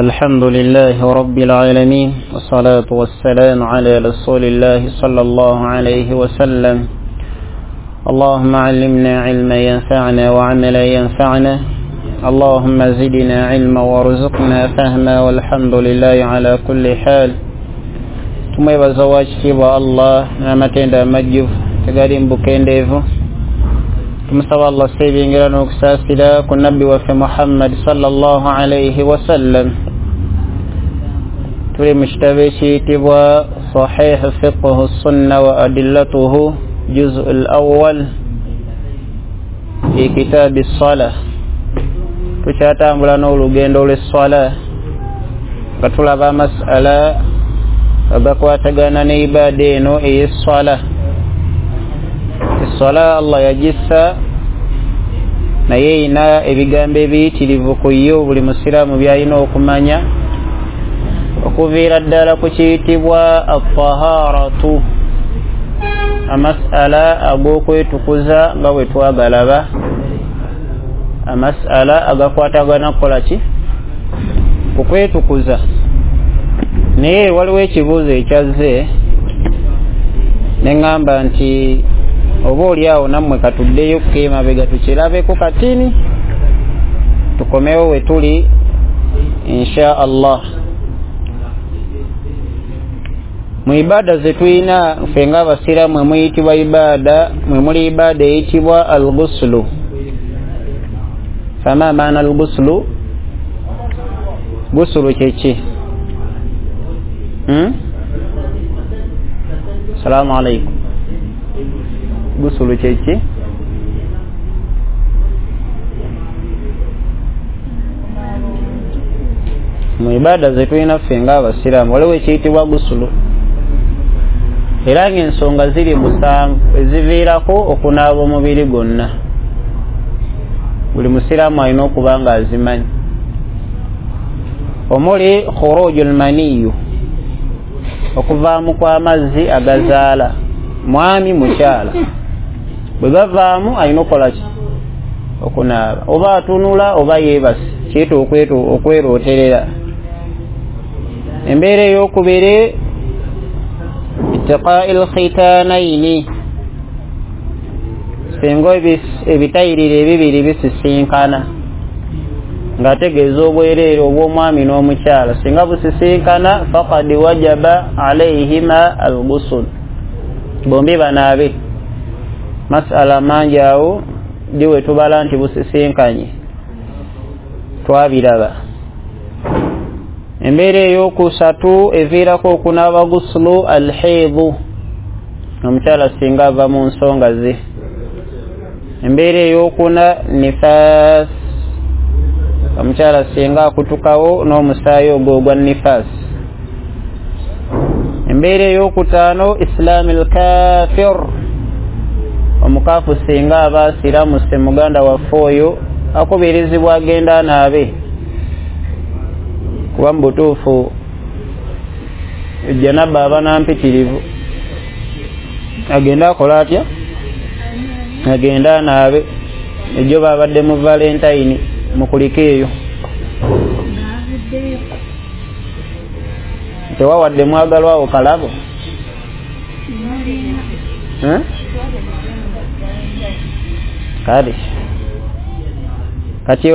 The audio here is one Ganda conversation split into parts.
الحمد لله رب العالمين، والصلاة والسلام على رسول الله صلى الله عليه وسلم. اللهم علمنا علما ينفعنا وعملا ينفعنا، اللهم زدنا علما وارزقنا فهما، والحمد لله على كل حال. Tumwebaza wakitiibwa Allah n'amatendo amajjuvu tegali mbukendeevu. Tumusaba Allah sebyengera n'okusaasira ku nabbi waffe Muhammad sallallahu alayhi wasallam. Tuli mu kitabo ekiyitibwa Sahih Fiqhu Sunna wa Adillatuhu, juzu al-awwal fi kitabi ssalah. Tukyatambula n'olugendo lw'esswala nga tulaba amasala agakwatagana ne ibaada eno ey'esswala. Esswala Allah yagissa, naye erina ebigambo ebiyitirivu ku yo buli musiraamu by'alina okumanya, okuviira ddala ku kiyitibwa at-taharatu, amasala ag'okwetukuza nga bwe twagalaba, amasala agakwatagana kukola ki? Kukwetukuza. Naye waliwo ekibuuzo ekyazze ne ŋŋamba nti oba oli awo nammwe katuddeyo emabega tukirabeko katini, tukomewo we tuli insha Allah. Mu ibaada ze tulina ffe ng'abasiraamu mwe muyitibwa ibaada, mwe muli ibaada eyitibwa al-ghuslu. Fama maana al-ghuslu? Ghuslu kye ki? Assalamu alaikum. Gusulu kyeki? Mu ibaada ze tulina ffe ng'abasiraamu waliwo ekiyitibwa gusulu, era ng'ensonga ziri 7 eziviirako okunaaba omubiri gwonna. Buli musiraamu alina okuba nga azimanyi, omuli khurujul maniyu, okuvaamu kw'amazzi agazaala mwami mukyala. Bwe gavaamu alina okukola ki? Okunaaba. Oba atunula oba yeebase, kiyita okwerooterera. Embeera ey'okubiri, ittiqaa'il khitaanayini, singa ebitayiriro ebibiri bisisinkana, ng'ategeeza obwereere obw'omwami n'omukyala, singa busisinkana faqad wajaba alayhima al-ghusl, bombi banaabe. Masala mangi awo diwe tubala nti busisinkanye, twabiraba. Embeera ey'okusatu eviirako okunaaba gusulu al-haidhu, omukyala singa ava mu nsonga ze. Embeera ey'okuna nifaas, omukyala singa akutukawo n'omusaayi ogwo ogwa nifaas. Embeera ey'okutaano islaamil kafir, omukafu singa aba asiramuse muganda waffe oyo akubirizibwa agenda anaabe, kuba mu butuufu janaba aba nampitirivu, agenda akola atya? Agenda anaabe. Ejjo babadde mu Valentine mukulike eyo, tewawadde mwagalwawo kalabo? Kale kati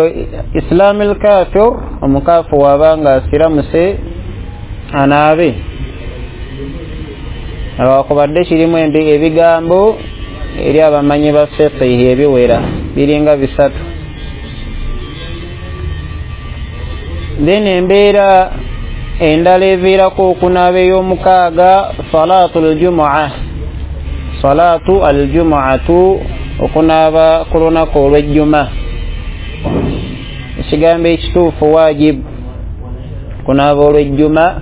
islamil kafir, omukafu wabanga asiramuse anaabe. Awakubadde kirimu ebigambo eri abamanyi ba fiqh ebiwera biringa 3. Then embeera endala eviirako okunaaba ey'omukaaga, salaatul jumu'a, salaatu al-jumu'atu, okunaaba ku lunaku olw'ejjuma. Ekigambo ekituufu wajibu, kunaaba olw'ejjuma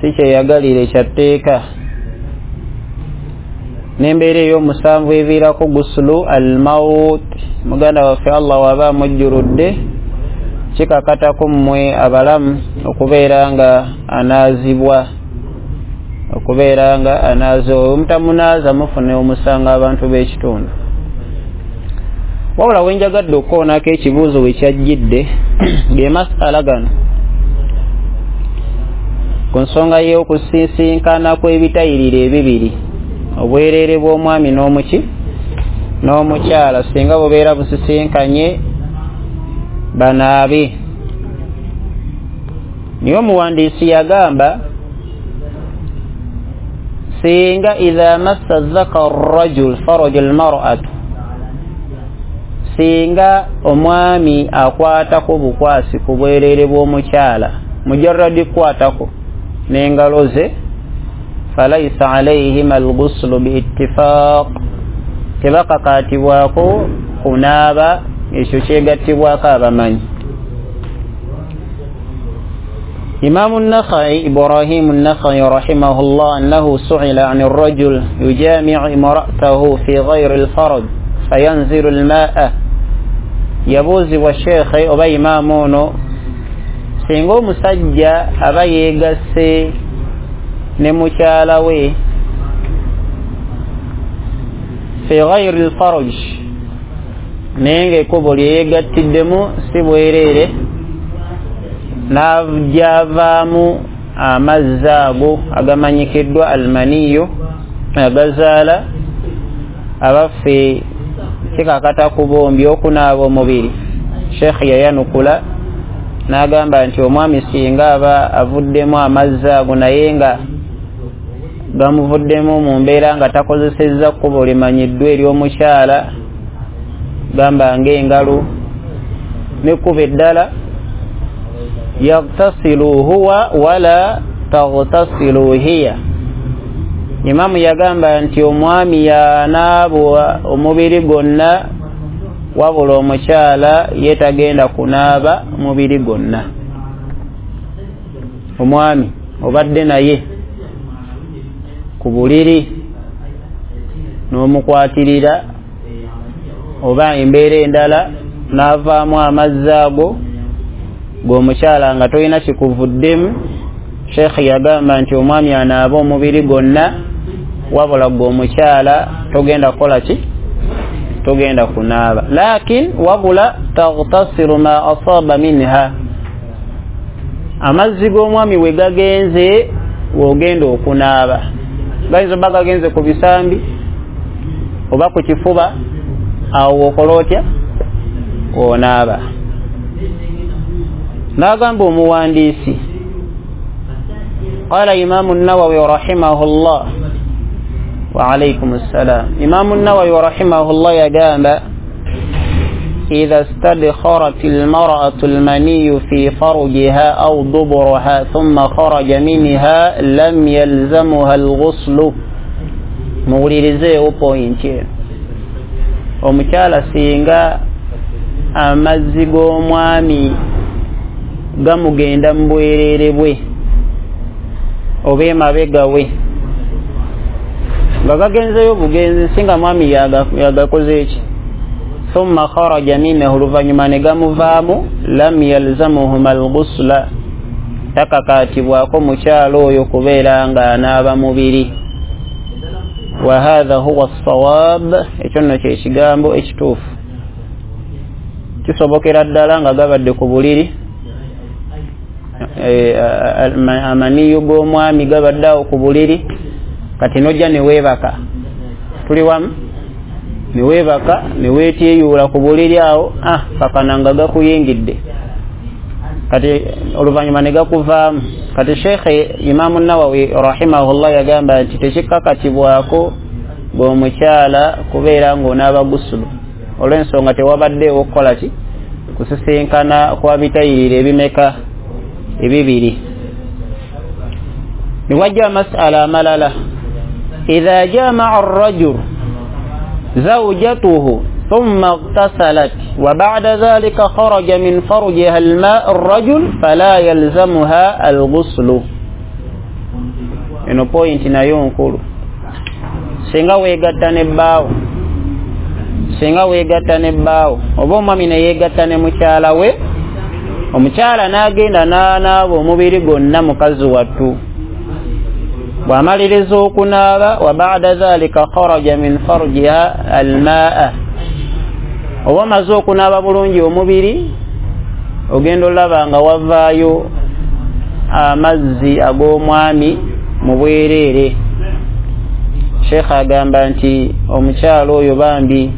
si kyeyagalire kya tteeka. N'embeera ey'omusanvu eviirako gusulu al-maut, muganda waffe Allah waba amujjuludde, kikakatako mmwe abalamu okubeera nga anaazibwa, okubeera nga anaaza. Omutamunaaza mufune omusanga abantu b'ekitundu. Wabula wenjagadde okukoonako ekibuuzo we kyajjidde ge masala gano ku nsonga y'okusisinkana kw'ebitayiriro ebibiri, obwereere bw'omwami n'omuki n'omukyala, singa bubeera busisinkanye banaabe. Niye omuwandiisi yagamba singa idha massa dhakar rajul faraj almar'atu, singa omwami akwatako bukwasi ku bwereere bw'omukyala mujarradi kukwatako n'engalo ze, falaisa alayhima alghuslu biittifaq, tebakakaatibwako kunaaba, ekyo kyegattibwako abamanyi. Imamu Nakhai, Ibrahimu Nakhai rahimahullah, annahu su'ila an ar-rajul yujami'u imra'atahu fi ghayri al-faraj fayanzilu al-ma'a. Yabuuzibwa sheekhe oba imaamu ono singa omusajja aba yeegasse ne mukyala we fi ghayri al-faraj, naye ng'ekkubo lye yeegattiddemu si bwereere, n'ajavaamu amazzi ago agamanyikiddwa almaniyo agazaala, abaffe kikakata ku bombi okunaaba omubiri. Sheekh yayanukula n'agamba nti omwami singa aba avuddemu amazzi ago naye nga gamuvuddemu mu mbeera nga takozesezza kkubo limanyiddwa ery'omukyala, gamba ng'engalo n'ekkubo eddala, yagtasilu huwa wala tagtasilu hiya. Imamu yagamba nti omwami yanaaba omubiri gwonna, wabula omukyala ye tagenda kunaaba mubiri gwonna. Omwami obadde naye ku buliri n'omukwatirira oba embeera endala n'avaamu amazzi ago g'omukyala nga tolina kikuvuddemu, sheekh yagamba nti omwami anaaba omubiri gwonna, wabula gwe omukyala togenda kukola ki? Togenda kunaaba. Lakin wabula tagtasiru ma asaba minha, amazzi g'omwami we gagenze wogenda okunaaba, gayinza oba gagenze ku bisambi oba ku kifuba, awo wokola otya? Onaaba. N'agamba omuwandiisi, qala Imamu Nawawi rahimahullah, wa alaykum assalam. Imamu Nawawi rahimahullah yagamba idha stadkharat almar'atu almaniyu fi farjiha aw duburaha thumma kharaja minha lam yalzamuha alghuslu. Muwulirizeewo pointi eno. Omukyala singa amazzi g'omwami gamugenda mu bwereere bwe oba emabega we nga gagenzeyo bugenzi, singa mwami yagakoze eki, thumma kharaja minhu, oluvannyuma ne gamuvaamu, lam yalzamuhuma alghusla, takakaatibwako mukyala oyo kubeera nga anaaba mubiri. Wa hadha huwa as-sawab, ekyo nno kye kigambo ekituufu. Kisobokera ddala nga gabadde ku buliri, amaniyo g'omwami gabadde awo ku buliri, kati nojja ne weebaka, tuli wamu, ne weebaka ne weetyeyuula ku buliri awo, kakana nga gakuyingidde, kati oluvannyuma ne gakuvaamu. Kati Sheekhe Imamu Nawawi rahimahullah yagamba nti tekikakatibwako bw'omukyala kubeera ng'onaaba gusulu, olw'ensonga tewabaddeewo okukola ki? Kusisinkana kwa bitayiriro ebimeka? Ebibiri. Niwajja masala amalala, idha jamaa arrajul zawjatuhu thumma ightasalat wa ba'da dhalika kharaja min farjiha alma' arrajul fala yalzamuha alghuslu. Eno pointi nayo nkulu. Singa weegatta ne bbaawo, singa weegatta ne bbaawo oba omwami ne yeegatta ne mukyala we, omukyala n'agenda n'anaaba omubiri gwonna mukazi wattu, bw'amaliriza okunaaba, wa ba'da dhalika kharaja min farjiha almaa, Oba omaze okunaaba bulungi omubiri, ogenda olaba nga wavaayo amazzi ag'omwami mu bwereere. Sheikh agamba nti omukyala oyo bambi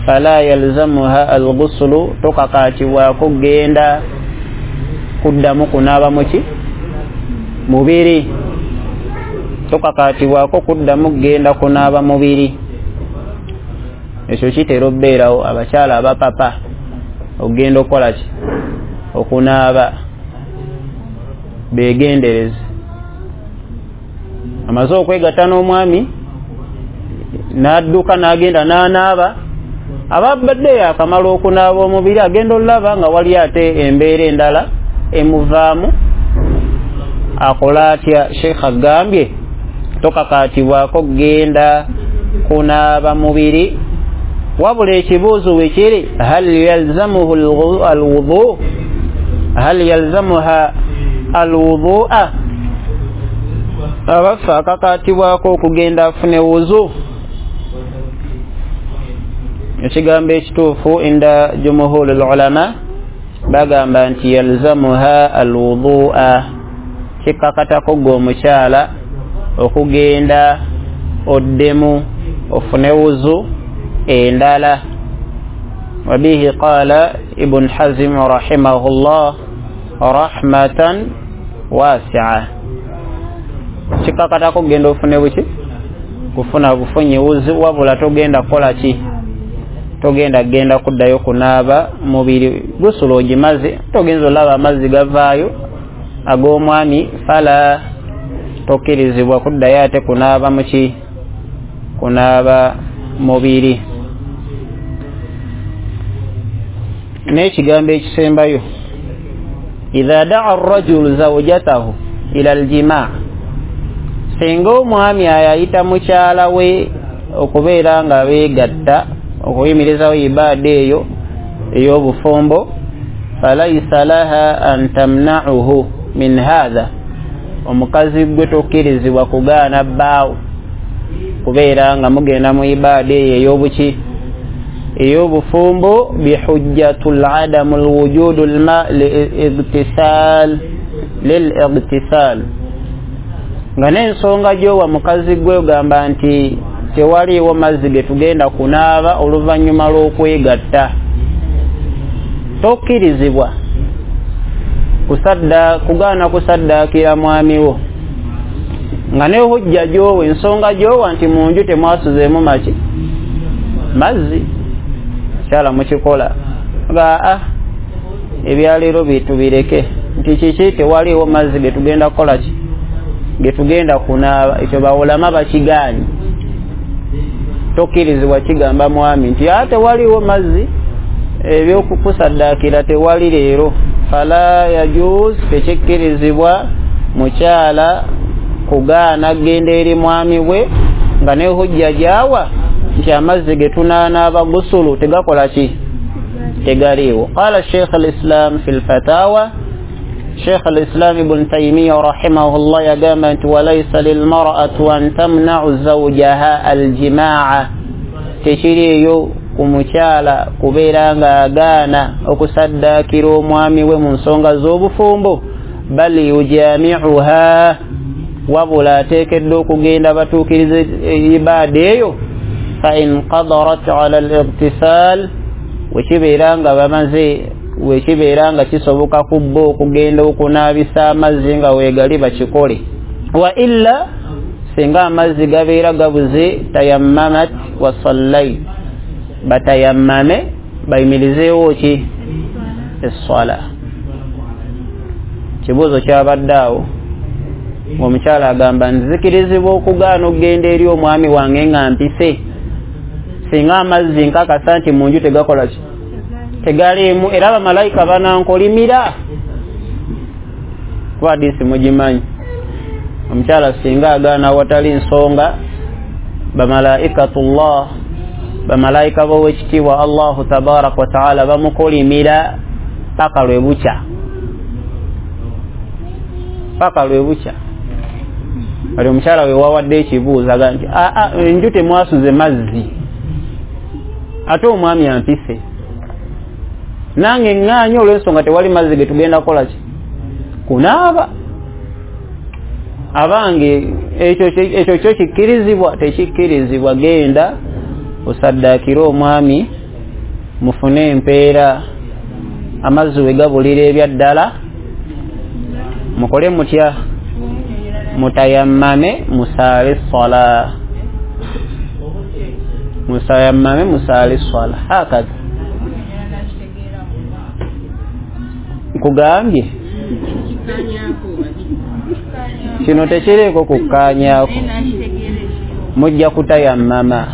fala yalzamuha alghuslu, tokakaatibwako kugenda kuddamu kunaaba muki mubiri, tokakaatibwako kuddamu kugenda kunaaba mubiri. Ekyo kitera okubeerawo abakyala abapapa okugenda okukola ki? Okunaaba. Beegendereze. Amaze okwegatta n'omwami n'adduka n'agenda n'anaaba, ababadde akamala okunaaba omubiri agenda olaba nga wali ate embeera endala emuvaamu. Akola atya? Sheikh agambye tokakaatibwako kugenda kunaaba mubiri, wabula ekibuuzo we kiri hal yalzamuhu alwudu, hal yalzamuha alwudua, abaffe akakaatibwako okugenda afune wuzu? Ekigambo ekituufu inda jumhuri ulama bagamba nti yalzamuha alwudua, kikakatako gwe omukyala okugenda oddemu ofune wuzu endala. Wabihi qala Ibn Hazm rahimahullah rahmatan wasi'a, kikakatako kugenda ofune buki? Kufuna bufunyi wuzu, wabula togenda kukola ki? Togenda genda kuddayo kunaaba mubiri. Gusula ogimaze, togenza olaba amazzi gavaayo ag'omwami, fala tokkirizibwa kuddayo ate kunaaba muki? Kunaaba mubiri. N'ekigambo ekisembayo, idha daa arrajulu zawjatahu ila aljimaa, singa omwami ayayita mukyala we okubeera nga beegatta okuyimirizawo ibaada eyo ey'obufumbo, falaisa laha an tamna'uhu min hadha, omukazi gwe tokkirizibwa kugaana bbaawo kubeera nga mugenda mu ibaada eyo ey'obuki? Ey'obufumbo, bihujjatul adamu lwujudu lma lil igtisal, nga n'ensonga gy'owa mukazi gwe ogamba nti tewaliiwo mazzi ge tugenda kunaaba oluvannyuma lw'okwegatta, tokkirizibwa kugaana kusaddaakira mwami wo, nga ne hujja gy'owa, ensonga gy'owa nti mu nju temwasuzeemu maki? Mazzi. Kyala mukikola nga ebyaleero bitubireke nti kiki, tewaliiwo mazzi ge tugenda kukola ki? Ge tugenda kunaaba. Ekyo bawulama bakigaanyi, tokkirizibwa kigamba mwami nti tewaliiwo mazzi ebyokukusaddaakira tewali leero. Fala yajuz, tekikkirizibwa mukyala kugaana kugenda eri mwami we nga ne hujja gy'awa nti amazzi ge tunaanaaba gusulu tegakola ki? Tegaliiwo. Qala Sheikh al-Islam fi al-Fatawa, Sheikh al-Islam Ibn Taymiyyah rahimahullah yagamba nti walaysa lilmar'atu an tamna'u zawjaha aljimaa, tekiriiyo ku mukyala kubeera ng'agaana okusaddaakira omwami we mu nsonga z'obufumbo, bal yujami'uha, wabula ateekeddwa okugenda batuukirize ibaada eyo, fa in qadarat ala al-igtisal, wekibeera nga bamaze, wekibeera nga kisoboka ku bo okugenda okunaabisa amazzi nga weegali bakikole, wa illa singa amazzi gabeera gabuze, tayammamat wa sallait, batayammame bayimirizeewo ki? Esswala. Kibuuzo kyabadde awo ng'omukyala agamba nzikirizibwa okugaana okugenda eri omwami wange nga mpise singa amazzi nkakasa nti mu nju tegakola ki? Tegaliimu, era bamalayika banankolimira. Kuba hadisi mugimanyi, omukyala singa agaana awatali nsonga, bamalaikatullah, bamalayika b'owekitiibwa Allahu tabaraka wa taala bamukolimira paka lwe bukya, paka lwe bukya. Kati omukyala we wawadde ekibuuzo aga nti enju temwasuze mazzi, ate omwami ampise. Nange ŋŋaanye olw'ensonga tewali mazzi ge tugenda kukola ki? Kunaaba. Abange ekyo kyo kikkirizibwa? Tekikkirizibwa. Genda osaddaakire omwami, mufune empeera, amazzi we gabulira ebyaddala, mukole mutya? Mutayammame musaale swala, mutayammame musaale swala. Hakaza nkugambye kino tekiriiko kukkaanyaako, mujja kutayammama.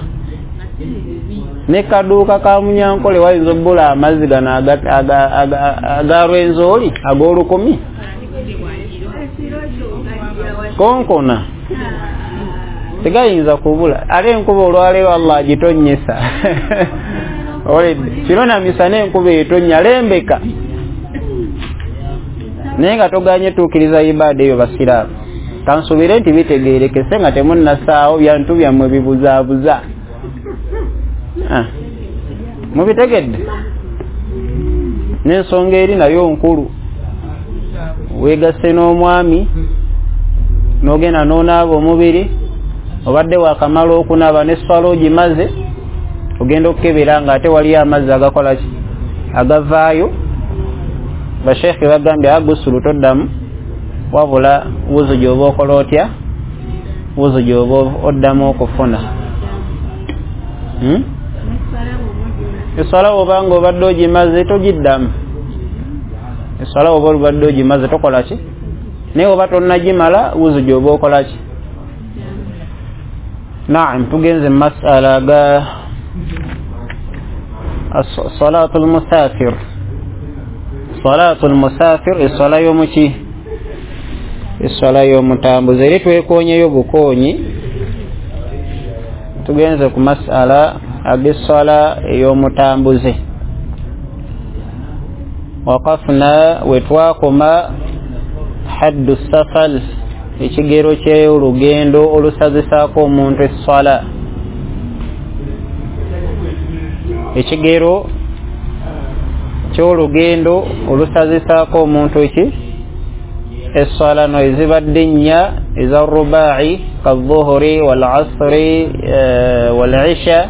Ne kaduuka ka Munyankole wayinza obbula amazzi gano aga Rwenzori ag'olukumi konkona tegayinza kubula. Ate enkuba olwaleero Allah agitonnyesa. Kiro na misana enkuba etonnya lembeka, naye nga toganye tuukiriza ibaada eyo. Basiraamu, kansuubire nti bitegeerekese nga temunnasaawo byantu byammwe bibuzaabuza. Mubitegedde? N'ensonga eri nayo nkulu. Weegasse n'omwami n'ogenda n'onaaba omubiri, obadde wakamala okunaaba n'esswala ogimaze, ogenda okukebera nga ate waliyo amazzi agakola ki? Agavaayo. Basheekhe bagambye agusulu toddamu, wabula wuzu gy'oba okola otya? Wuzu gy'oba oddamu okufuna. Esswala bw'oba nga obadde ogimaze togiddamu. Esswala bw'oba obadde ogimaze tokola ki? Naye oba tonnagimala wuzu gy'oba okola ki? Naam, tugenze mu masala ga salaatul musafir. Salaatul musafir, esswala y'omuki? Esswala y'omutambuze. Eri twekoonyeyo bukoonyi, tugenze ku masala ag'esswala ey'omutambuze. Waqafna, wetwakoma haddu safal, ekigero ky'olugendo olusazisaako omuntu esswala. Ekigero ky'olugendo olusazisaako omuntu ki? Esswala. No ezibadde nnya eza rubai kadhuhuri wal asri wal isha,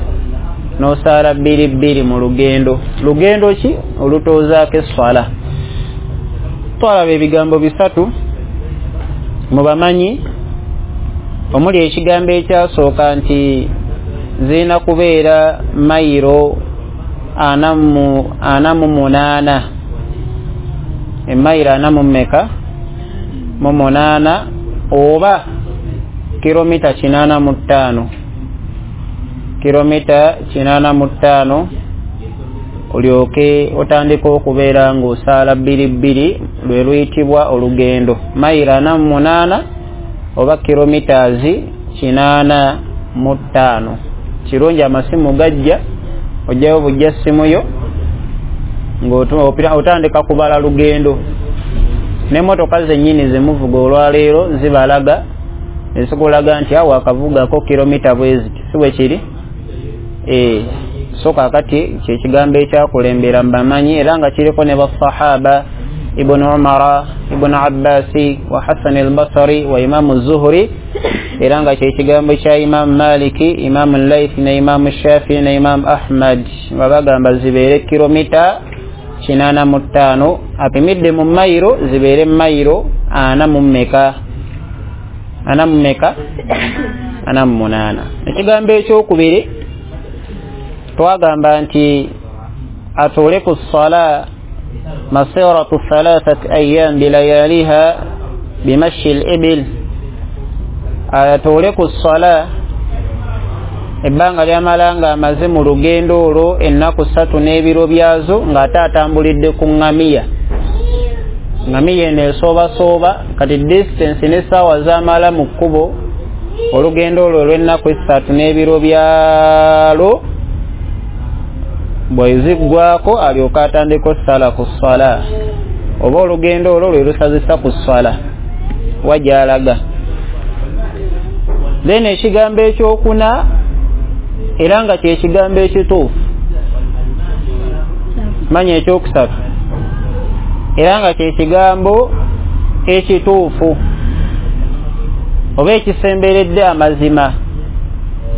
n'osaala bbiri bbiri mu lugendo. Lugendo ki olutoozaako esswala? Twalaba ebigambo bisatu mu bamanyi, omuli ekigambo ekyasooka nti zirina kubeera mayiro 48, emayiro 48 oba kilomita 85, kilomita 85, olyoke otandika okubeera ng'osaala bbiri bbiri, lwe luyitibwa olugendo. Mayiro 48 oba kilomitazi 85. Kirungi amasimu gajja, ojjayo bujja simu yo ng'otandika kubala lugendo. N'emmotoka zennyini zemuvuga olwaleero zibalaga, ezikulaga nti awo akavugako kilomita bwe ziti, si bwe kiri? So kaakati kyekigambo ekyakulembera mbamanyi, era nga kiriko ne basahaba Ibn Umara, Ibn Abbasi wa Hasan al-Basri wa Imamu Zuhri, era nga kyekigambo kya Imamu Maliki, Imamu Layth ne Imamu Shafi ne Imamu Ahmad, nga bagamba zibeere kilomita 85, apimidde mu mayiro zibeere mayiro 48. Ekigambo ekyokubiri twagamba nti atuule ku ssala masiratu 3 ayyam bilayaliha bimashi al-ibil, atuule ku ssala ebbanga lyamala nga amaze mu lugendo olwo ennaku 3 n'ebiro byazo, ng'ate atambulidde ku ŋŋamiya. Ŋŋamiya eno esoobasooba, kati distance n'essaawa z'amala mu kkubo olugendo olwo olw'ennaku 3 n'ebiro byalwo bweziggwako alyoka atandika ossala ku ssala, oba olugendo olwo lwe lusazisa ku ssala wa gy'alaga. Then ekigambo ekyokuna, era nga kyekigambo ekituufu, Manya ekyokusatu era nga kyekigambo ekituufu oba ekisemberedde amazima,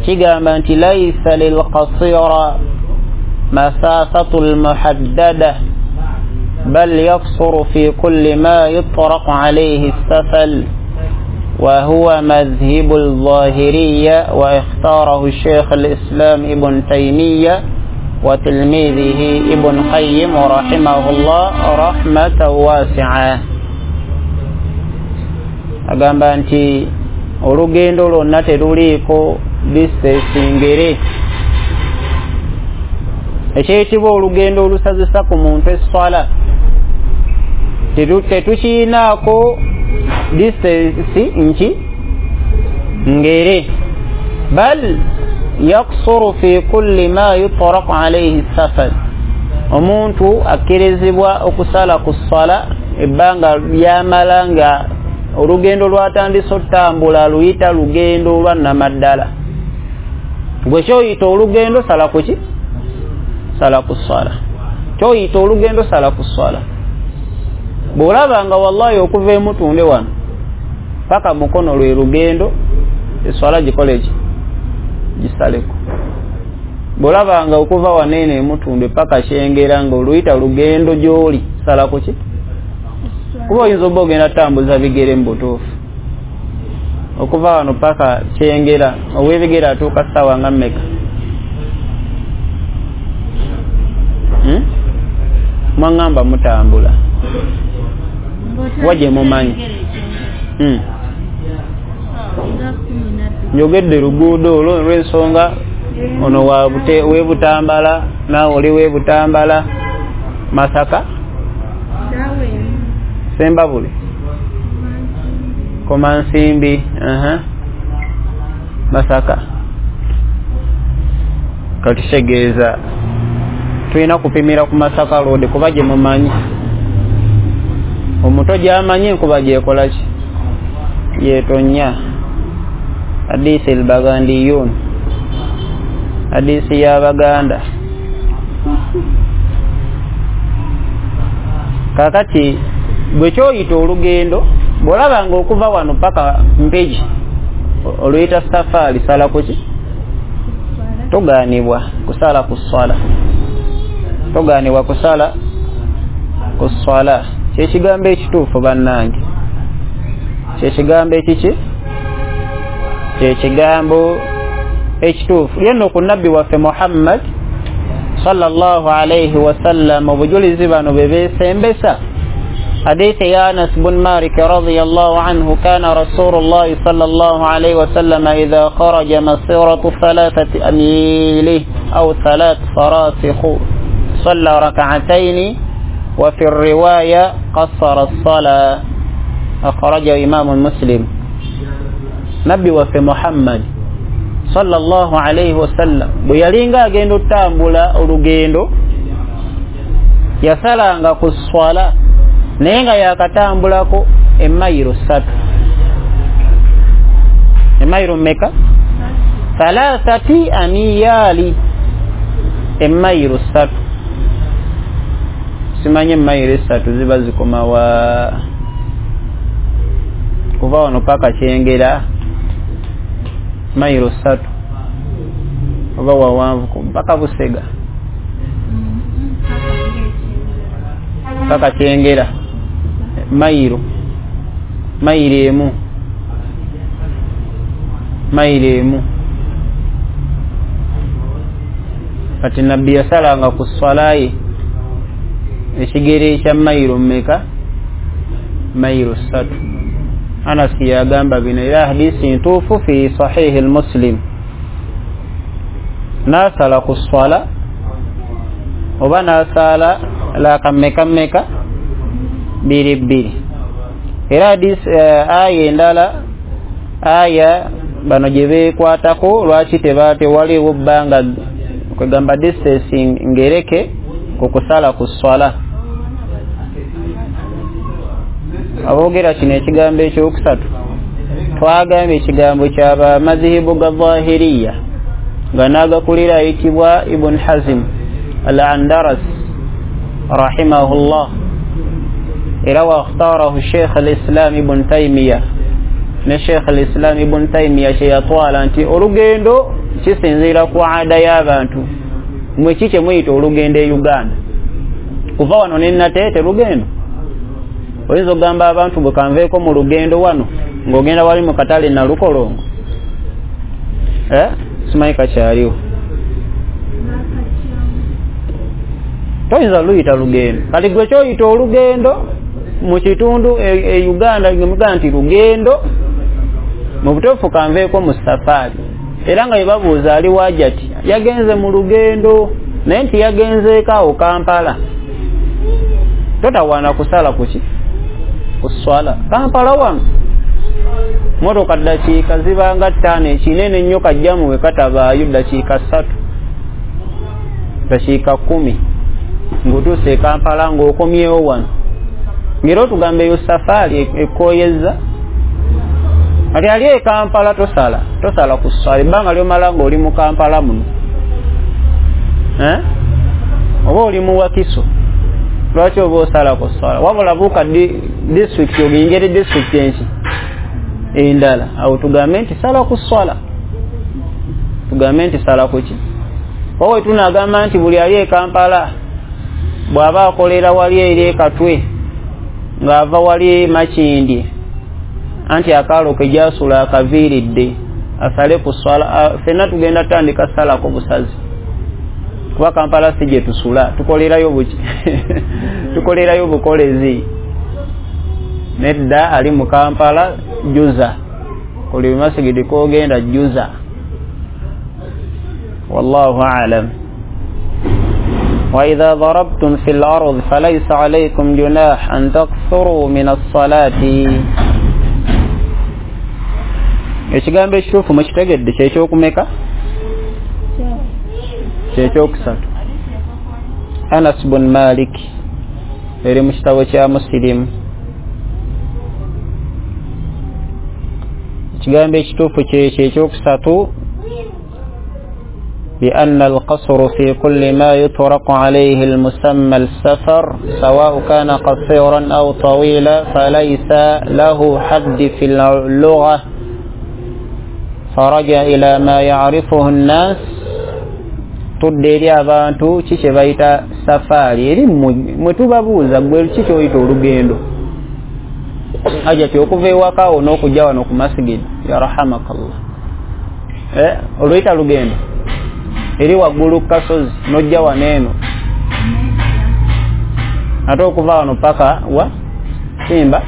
kigamba nti laisa lilqasira masafatu lmuhaddada bal yaksuru fi kulli ma yutraqu alayhi safal وهو مذهب الظاهرية واختاره الشيخ الإسلام ابن تيمية وتلميذه ابن قيم رحمه الله رحمة واسعة. Agamba nti olugendo lwonna teruliiko distance ngere. Ekyeyitibwa olugendo olusazisa ku muntu esswala tetukiinaako distance nki ngere, bal yaksuru fi kulli ma yutraqu alayhi safar. Omuntu akkirizibwa okusala ku sswala ebbanga lyamala nga olugendo lwatandise otambula luyita lugendo lwa namaddala. Gwe kyoyita olugendo sala kuki? Sala ku sswala. Kyoyita olugendo sala ku sswala. Bw'olaba nga wallahi okuva emutunde wano paka mukono lwe lugendo, esswala gikole ki? Gisaleko. Bw'olaba nga okuva wano eno emutunde paka Kyengera nga oluyita lugendo gy'oli, sala kuki? Kuba oyinza oba ogenda tambuza bigere mu butuufu. Okuva wano paka Kyengera ow'ebigere atuuka ssaawa nga mmeka? Mwaŋŋamba mutambula waje mumanyi. Njogedde luguudo olwo olw'ensonga ono w'ebutambala naawe oli w'ebutambala Masaka Sembabule Komansimbi Masaka. Kati kitegeeza tulina kupimira ku Masaka Road kuba gye mumanyi. Omuto gy'amanyi enkuba gyekola ki? Yetonya. Hadisi al-Bagandiyun, hadisi y'Abaganda. Kakati gwe kyoyita olugendo bw'olaba nga okuva wano paka Mpigi oluyita safaari, sala kuki? Togaanibwa kusala ku sswala, togaanibwa kusala ku sswala. Kyekigambo ekituufu bannange, kyekigambo ekiki? Kyekigambo ekituufu. Yenno ku nabbi waffe Muhammad sallallahu alayhi wasallam obujulizi bano bwe beesembesa. حديث يا أنس بن مالك رضي الله عنه كان رسول الله صلى الله عليه وسلم إذا خرج مسيرة 3 أميال أو 3 فراسخ صلى ركعتين وفي الرواية قصر الصلاة. أخرجه إمام مسلم. نبي وفي محمد صلى الله عليه وسلم bwe agenda otambula olugendo yasalanga ku swala naye nga yakatambulako emayiro 3. Emayiro mmeka? 3 amiyali, emayiro 3. Simanyi emayiro 3 ziba zikoma wa? Kuva wano paka Kyengera mayiro 3 oba wawanvu paka Busega paka Kyengera mayiro emu. Kati nabbi yasalanga ku swala ye ekigere ekya mayiro mmeka? Mayiro 3. Anas yagamba bino era hadisi ntuufu fi sahihi al-Muslim. Nasala ku swala oba nasala laka mmeka mmeka? 2. Era hadisi aya endala aya bano gye beekwatako lwaki tewaliwo bbanga kwegamba distance ngereke ku kusala ku swala. Aboogera kino ekigambo ekyokusatu twagambye ekigambo kyaba madhihibu ga Zahiriya nga n'agakulira ayitibwa Ibn Hazm al-Andaras Rahimahullah, era wakhtarahu Sheikh al-Islam Ibn Taymiyyah, ne Sheikh al-Islam Ibn Taymiyyah kyeyatwala nti olugendo kisinziira ku ada y'abantu. Mwe ki kyemuyita olugendo e Uganda? Kuva wano ne Nateete lugendo? Oyinza okugamba abantu bwe kanveeko mu lugendo wano ng'ogenda wali mu katale Nalukolongo, simanyi kakyaliwo, toyinza luyita lugendo. Kati gwe kyoyita olugendo mu kitundu e Uganda, ngemugaa nti lugendo mu butuufu kanveeko mu safaari. Era nga yebabuuza ali wajati yagenze mu lugendo, naye nti yagenzeeko awo Kampala, totawaana kusala kuki kuswala Kampala wano motoka ddakiika zibanga 5, ekinene ennyo kajjamu we katabaayo ddakiika 3, ddakiika 10 ng'otuuse e Kampala ng'okomyewo wano. Ng'era otugamba eyo safaari ekooyezza. Ati ali e Kampala tosala kuswala ebbanga lyomala ng'oli mu Kampala muno, oba oli mu Wakiso, lwaki oba osala kuswala? Wabula buuka disitulikiti ogingere disitulikiti enki endala, awo tugambe nti sala kuswala, tugambe nti sala kuki. Owe tunagamba nti buli ali e Kampala bw'aba akolera wali eri e Katwe ng'ava wali Makindye, anti akaalo ke gyasula akaviiridde asale ku swala, ffenna tugenda tandika salako busazi, kuba Kampala si gye tusula, tukolerayo buki tukolerayo bukolezi. Nedda ali mu Kampala juza, kuli masigidi kogenda juza. Wallahu a'lam. وإذا ضربتم في الأرض فليس عليكم جناح أن تقصروا من الصلاة. Ekigambo ekituufu mukitegedde kyekyokumeka? Kyekyokusatu. Anas bun Malik, eri mu kitabo kya Muslim. Ekigambo ekituufu kyekyokusatu, بأن القصر في كل ما يطرق عليه المسمى السفر سواء كان قصيرا أو طويلا فليس له حد في اللغة، فرجع إلى ما يعرفه الناس. Tudde eri abantu ki kye bayita safaari, eri mwe tubabuuza gwe ki kyoyita olugendo. Aja ti okuva ewakawo n'okujja wano ku masigidi, ya rahamakallah, oluyita lugendo eri waggulu ku kasozi n'ojja wano eno, ate okuva wano paka wa Simba,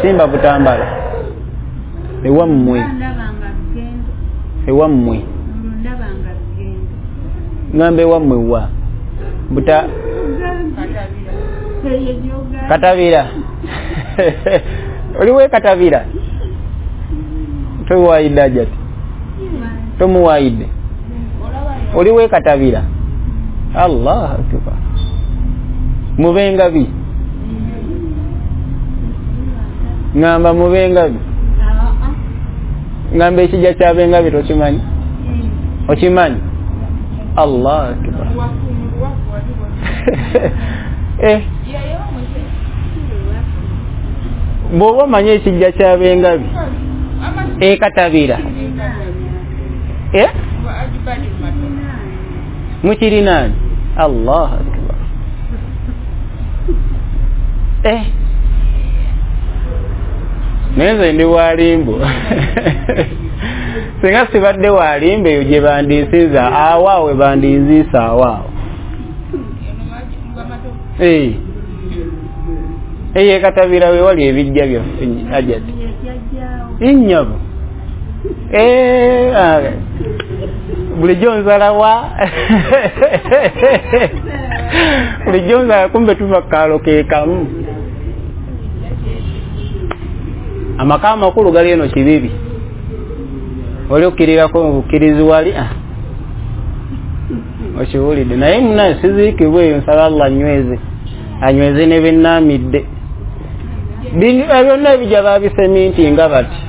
Simba Butambala, ewammwe, ewammwe ngambe ewammwe wa buta Katabira oliwe Katabira, tomuwaayidde ajati, tomuwaayidde oliwe Katabira. Allah akbar, mubengabi, ngamba mubengabi, ngamba ekijja kyabengabi tokimanyi? Okimanyi? Allah akbar. Bw'oba omanyi ekijja kyabengabi ekatabira, mukirinaani? Allah akbar. Naye nze ndi walimbo singa sibadde walimbo eyo gye bandinsiza awaawe, bandinziisa awaawo. Eyo ekatabira we wali ebijja byaffe ajati nnyabo. Bulijjo nzalawa bulijjo nzala, kumbe tuva kaalo ke kamu. Amaka amakulu gali eno Kibibi, oli okkirirako obukkirizi wali okiwulidde. Naye munaye siziikibwa eyo, nsaba Allah anyweze, anyweze ne bennaamidde. Byonna ebijja babisemintinga bati,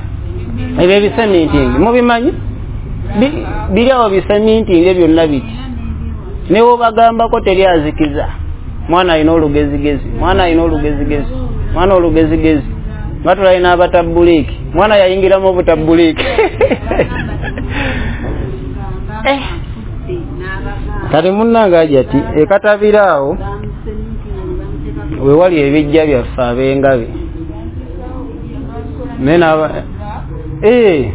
ebyo ebisemintingi mubimanyi? Biri awo bisemintinge byonna biti, ne wobagambako teri azikiza. Mwana alina olugezigezi, mwana alina olugezigezi, mwana olugezigezi, nga tulalina abatabbuliiki. Mwana yayingiramu obutabbuliiki. Kati munnange Hajati ekatabira awo wewali ebijja byaffe ab'engabi naye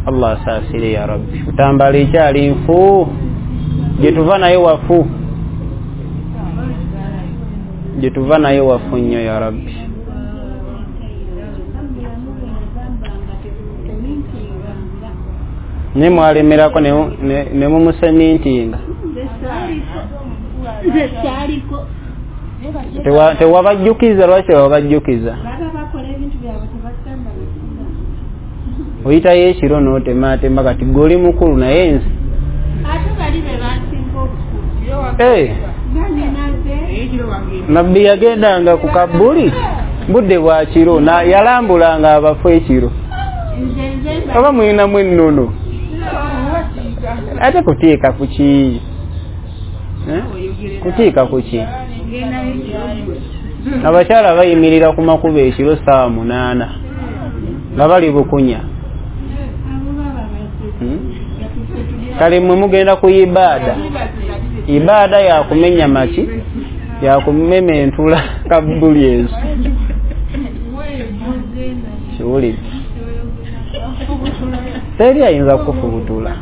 Allah asaasire ya Rabbi. Utambala ekyali nfu, gye tuva naye wafu, gye tuva naye wafu nnyo ya Rabbi. Naye mwalemerako ne mumusemintinga, tewabajjukiza. Lwaki tewabajjukiza? Oyitayo ekiro n'otematema kati gwe oli mukulu naye nze Nabbi yagendanga ku kabuli budde bwa kiro, yalambulanga abafu ekiro. Oba mulinamu ennono ate kutiika kuki? Kutiika kuki? Abakyala bayimirira ku makubo ekiro 8:00 nga bali bukunya. Kale mmwe mugenda ku ibaada, ibaada yakumenya maki, yakumema entula kabuli ezo. Kiwulidde? Teri ayinza kukufubutula.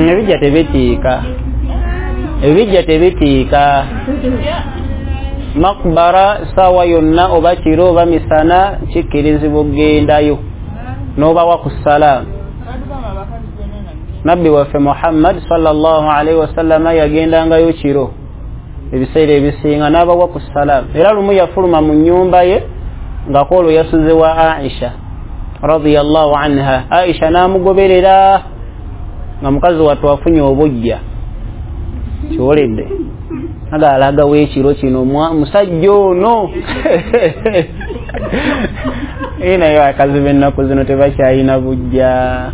Ebijja tebitiika, ebijja tebitiika. Makbara sawa yonna oba kiro oba misana kikkirizibwa okugendayo n'obawa ku salaamu. Nabbi waffe Muhammad sallallahu alaihi wasallama yagendangayo kiro ebiseera ebisinga n'abawa ku salaamu. Era lumu yafuluma mu nnyumba ye nga kwolwo yasuze wa Aisha radiyallahu anha. Aisha n'amugoberera nga mukazi wattu afunye obujja. Kiwulidde? Aga alagawo ekiro kino musajja ono. Naye abakazi b'ennaku zino tebakyalina bujja.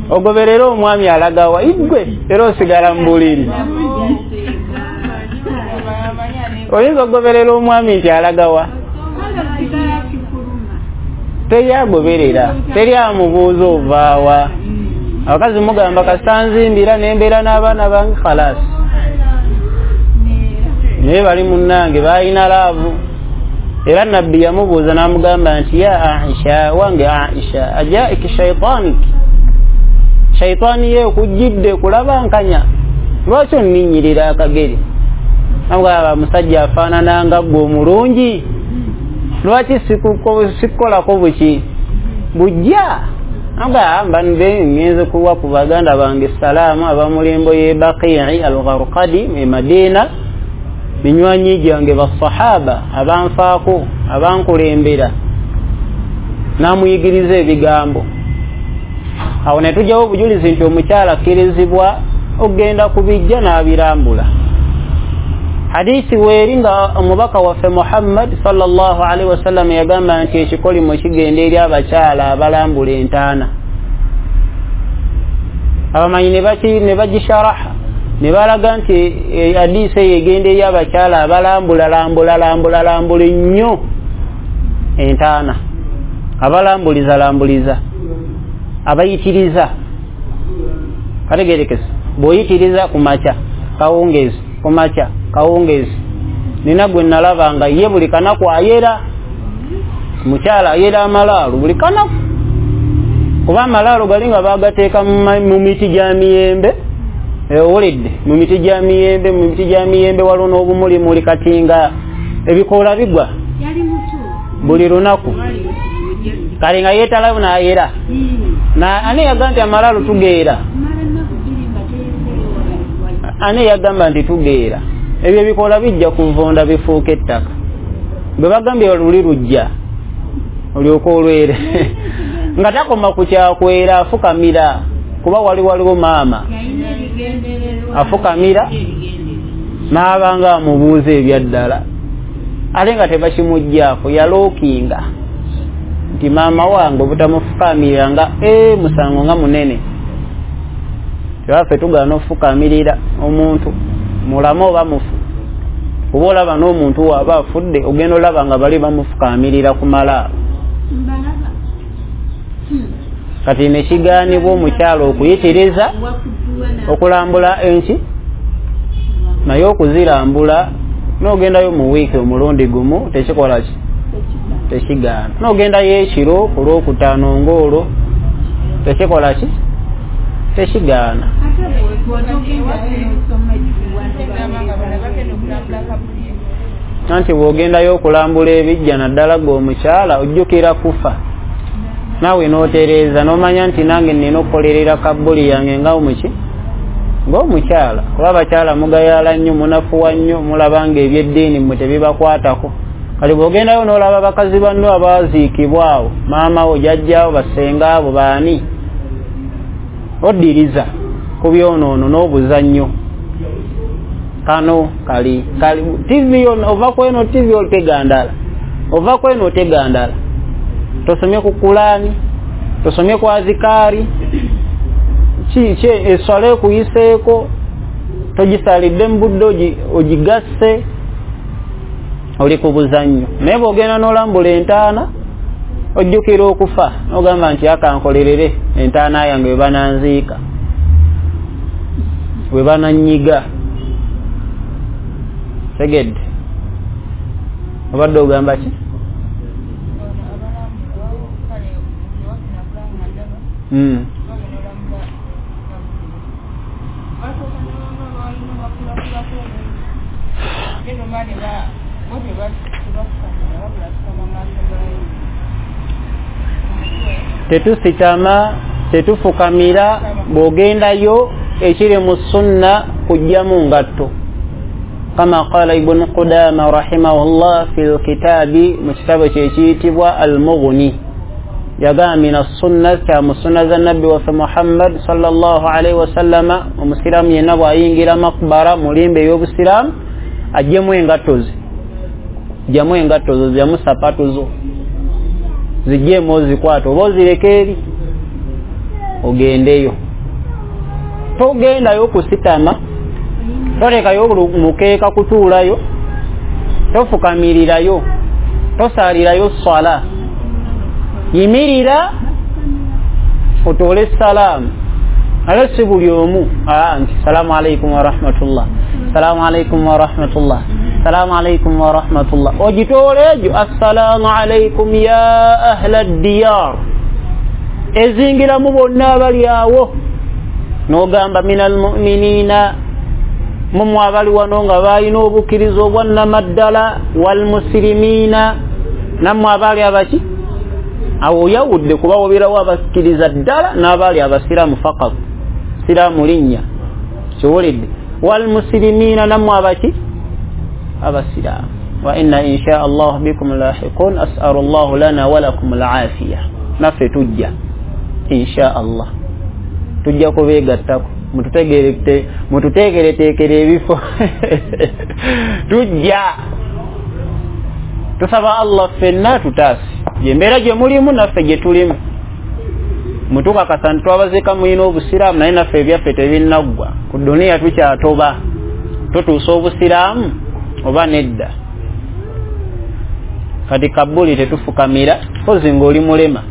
Ogoberera omwami alagawa igwe era osigala mu buliri. Oyinza okugoberera omwami nti alagawa? Teri agoberera, teri amubuuza ovaawa. Abakazi mugamba kasita nzimbira nembeera n'abaana bange khalasi. Naye bali munnange balina laavu. Era Nabbi yamubuuza n'amugamba nti ya Aisha, wange Aisha, ajaiki shaitaniki, shaitaani ye okujjidde kulabankanya, lwaki onninnyirira akagere? Namugamba musajja afaanana nga ggwe omulungi, lwaki sikukolako buki bujja? Namugamba mbe ngenze kuwa ku baganda bange salaamu abamulimbo ye Baqii al-Gharqadi e Madina, minywanyi gyange basahaba abanfaako abankulembera. Namuyigiriza ebigambo. Awo ne tujjawo obujulizi nti omukyala akkirizibwa okugenda ku bijja n'abirambula. Hadisi weeri nga omubaka waffe Muhammad sallallahu alaihi wasallam yagamba nti ekikolimo kigenda eri abakyala abalambula entaana. Abamanyi ne bagisharaha ne balaga nti hadisi eyo egenda eri abakyala abalambula lambula lambula lambula nnyo entaana, abalambuliza lambuliza, abayitiriza. Kategerekesa, bw'oyitiriza ku makya kawungeezi, ku makya kawungeezi. Nina gwe nalaba nga ye buli kanaku ayera, mukyala ayera amalaalo buli kanaku, kuba amalaalo gali nga bagateeka mu miti gya miyembe. Owulidde? Mu miti gya miyembe, mu miti gya miyembe waliwo n'obumulimuli kati nga ebikoola bigwa buli lunaku. Kale nga yeetalawo n'ayera. Ani yagamba nti amalaalo tugeera? Ani yagamba nti tugeera? Ebyo ebikoola bijja kuvunda bifuuka ettaka. Bwe bagambye luli lujja olyoka olwere. Nga takoma ku kyakwera, afukamira, kuba waliwo maama afukamira n'abanga amubuuza ebyaddala, ate nga tebakimuggyako, yalookinga. Nti maama wange obutamufukamirira nga musango nga munene. Tewaffe tugaana ofukamirira omuntu mulamu oba mufu. Oba olaba n'omuntu waaba afudde ogenda olaba nga bali bamufukamirira ku malaalo. Kati nekigaanibwa omukyala okuyitiriza okulambula enki, naye okuzirambula n'ogendayo mu wiiki omulundi gumu tekikola ki? Tekigaana. N'ogendayo ekiro ku lwokutaano ng'olwo tekikola ki? Tekigaana. Anti bw'ogendayo okulambula ebijja naddala gwe omukyala ojjukira kufa, naawe n'otereeza n'omanya nti nange nnina okukolerera kabbuli yange nga omuki ng'omukyala. Kuba abakyala mugayaala nnyo, munafuwa nnyo, mulaba nga ebyeddiini mmwe tebibakwatako. Kale bw'ogendayo n'olaba bakazi banno abaziikibwa awo, maama wo, jjajjaawo, basengaabo, baani, oddiriza ku byonoono n'obuzannyo. Kano kali kali TV yonna, ova kweno TV otega ndala, ova kweno otega ndala. Tosomye ku Kulaani, tosomye ku azikaari, ki eswala ekuyiseeko togisalidde mu budde ogigasse, oli ku buzannyo. Naye bw'ogenda n'olambula entaana ojjukira okufa n'ogamba nti akankolerere entaana yange we bananziika, we bananyiga. Tegedde obadde ogamba ki? Tetusitama, tetufukamira. Bw'ogendayo ekiri mu sunna kujjamu ngatto, kama qala Ibn Qudama rahimahullah fi lkitaabi, mu kitabo kye ekiyitibwa Al-Mughni, yagamba mina sunna, kya mu sunna za nabbi waffe Muhammad sallallahu alaihi wasallama, omusiraamu yenna bw'ayingira makbara mu limba ey'obusiraamu ajjemu engatto ze, jjamu engatto zo, jjamu sapatu zo, zijjeemu ozikwata oba ozireka eri ogendeyo. Togendayo kusitama, tolekayo mukeeka kutuulayo, tofukamirirayo, tosaalirayo swala. Yimirira otoole salaamu. Ate si buli omu nti salaamu alaikum warahmatullah, salaamu alaikum warahmatullah, salaamu alaikum warahmatullah. Ogitoole egyo assalaamu alaikum ya ahla ddiyar, ezingiramu bonna abali awo. N'ogamba minal mu'minina, mumwe abali wano nga balina obukkiriza obwannamaddala, walmusilimiina, nammwe abaali abaki. Awo oyawudde kuba wobeerawo abakkiriza ddala n'abaali abasiraamu fakat, siraamu linnya kiwulidde. Walmusilimiina, nammwe abaki abasiraamu. Wa inna insha Allah bikum lahiqun, as'alu llahu lana walakum alafiya. Naffe tujja insha Allah, tujja kubeegattako, mututeekereteekere ebifo. Tujja tusaba Allah ffenna tutaase gyembeera gye mulimu naffe gye tulimu. Mutukakasa nti twabaziika mulina obusiraamu, naye naffe ebyaffe tebinnaggwa. Ku duniya tukyatoba, tutuusa obusiraamu oba nedda. Kati kabuli tetufukamira, kozi ng'oli mulema.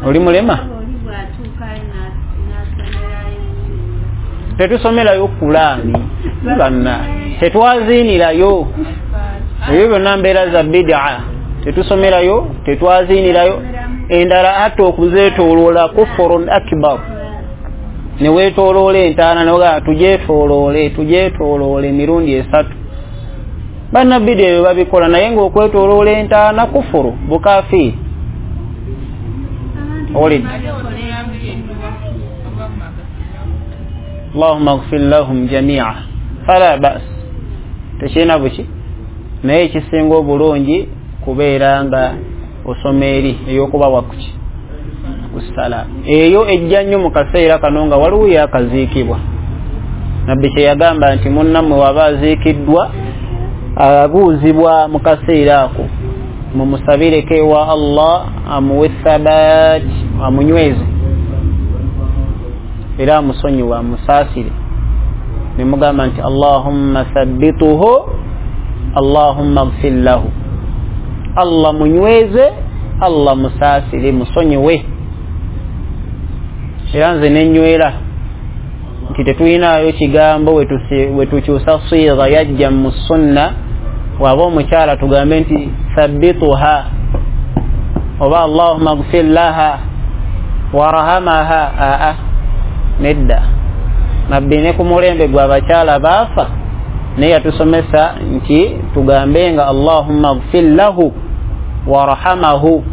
Oli mulema? Tetusomerayo Kulaani banna, tetwaziinirayo. Ebyo byonna mbeera za bid'a, tetusomerayo, tetwaziinirayo. Endala ate okuzeetooloola kufurun akbar, ne weetooloola entaana nogaa tugyetooloole, tugyetooloole emirundi 3. Bannabidi ebyo babikola, naye ng'okwetooloola entaana kufuru, bukafiiri. Olid Allahumma ighfir lahum jami'a fala ba's, tekirina buki. Naye ekisinga obulungi kubeera nga osoma eri ey'okubawa kuki kussalaamu. Eyo ejja nnyo mu kaseera kano nga waliwo yakaziikibwa. Nabbi kye yagamba nti munnammwe waba aziikiddwa abuuzibwa mu kaseera ako. Mumusabireko ewa Allah amuwe thabat, amunyweze era amusonyiwe, amusaasire. Nemugamba nti Allahumma thabbituhu, Allahumma gfir lahu, Allah munyweze, Allah musaasire, musonyiwe. Era nze nenywera nti tetulinayo kigambo wetukyusa sigha yajja mu sunna, waba omukyala tugambe nti thabbituha oba Allahumma gfir laha warahamaha. Aa, nedda. Nabbi ne ku mulembe gw'abakyala baafa naye yatusomesa nti tugambe nga Allahumma gfir lahu warahamahu,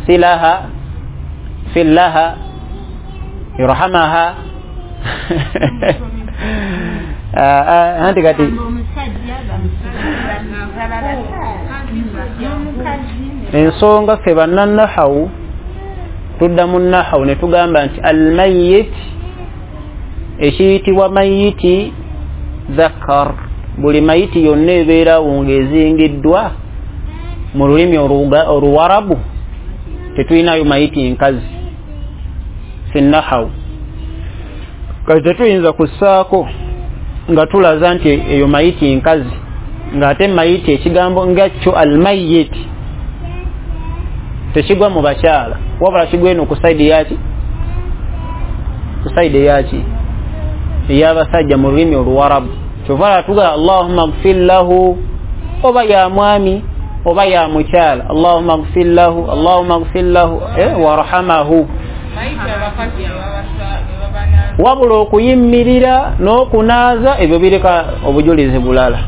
silaha fillaha irhamaha. Anti kati ensonga ffe bannannahawu tudda mu nahawu ne tugamba nti almayit, ekiyitibwa mayiti dhakar, buli mayiti yonna ebeerawo ng'ezingiddwa mu lulimi oluwarabu tetulinayo mayiti nkazi fi nahawu. Kati tetuyinza kussaako nga tulaza nti eyo mayiti nkazi, ng'ate mayiti ekigambo nga kyo almayit tekigwa mu bakyala, wabula kigwa eno ku saidi yaki, ku saidi yaki ey'abasajja mu lulimi oluwarabu. Kyova tuga Allahumma gfir lahu, oba ya mwami oba ya mukyala, Allahumma gfir lahu, Allahumma gfir lahu warhamahu. Wabula okuyimirira n'okunaaza ebyo bireka obujulizi bulala,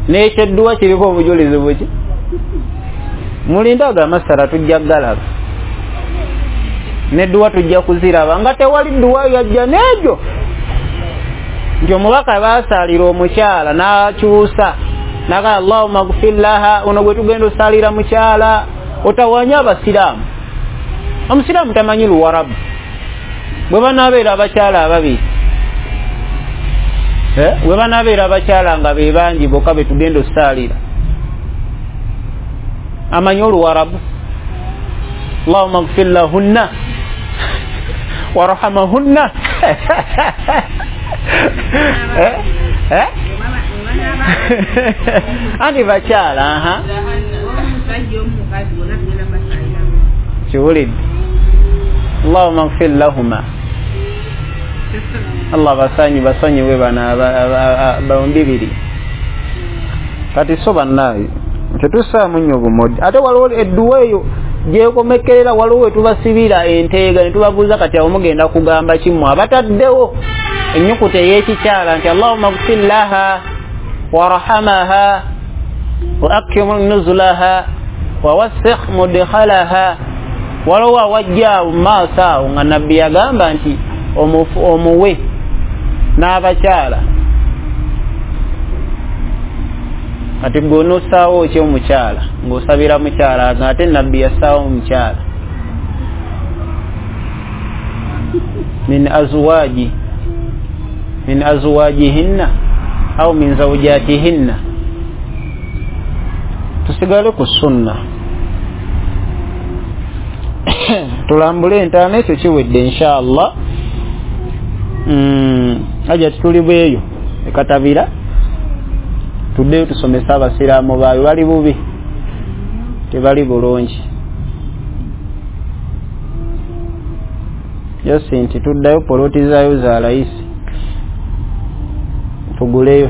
n'ekyedduwa kiriko obujulizi buki. Mulindaga amasala tujja galaba, nedduwa tujja kuziraba nga tewali dduwa yajja n'egyo nti omubaka baasaalira omukyala n'akyusa naga Allahumma gfir laha, ono gwe tugenda osaalira mukyala. Otawanya abasiraamu, omusiraamu tamanyi luwarabu. Bwe banaabeera abakyala ababiri, bwe banaabeera abakyala nga be bangi bokka be tugenda osaalira, amanyi oluwarabu? Allahumma gfir lahunna warhamahunna. Anti bakyala aha kiwulidde. Allahumma gfir lahuma, Allah basanyi basonyiwe bana bombi biri. Kati so bannaye tetussaamu nnyo bumodi. Ate waliwo edduwa eyo gyekomekerera, waliwo wetubasibira enteega ne tubabuuza kati awo mugenda kugamba kimmwe abataddewo ennyukuta ey'ekikyala nti Allahumma gfir laha warhamaha wa akrim nuzulaha wa wassikh mudkhalaha. Waliwo awajja awo mu maaso awo nga nabbi yagamba nti omuwe n'abakyala. Kati gwe onossaawo ki omukyala ng'osabira mukyala, ng'ate nabbi yassaawo omukyala min azwaji, min azwajihinna au min zawjatihinna. Tusigale ku sunna, tulambule entaana ekyo kiwedde inshallah. Aja tuli bweyo ekatabira tuddeyo tusomesa abasiraamu baayo, bali bubi tebali bulungi. Yosi nti tuddayo poloti zaayo za layisi tuguleyo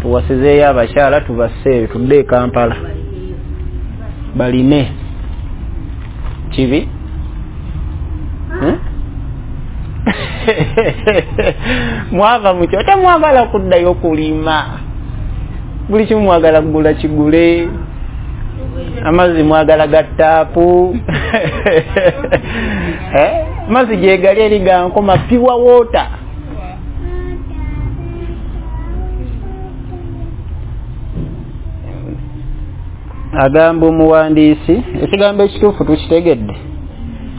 tuwasizeeyo abakyala tubasseeyo tudde e Kampala balime. Kibi mwava mukyo temwagala kuddayo kulima, buli kimu mwagala kugula kigule, amazzi mwagala ga taapu amazzi gyegali eri gankoma pure water. Agamba omuwandiisi ekigambo ekituufu tukitegedde,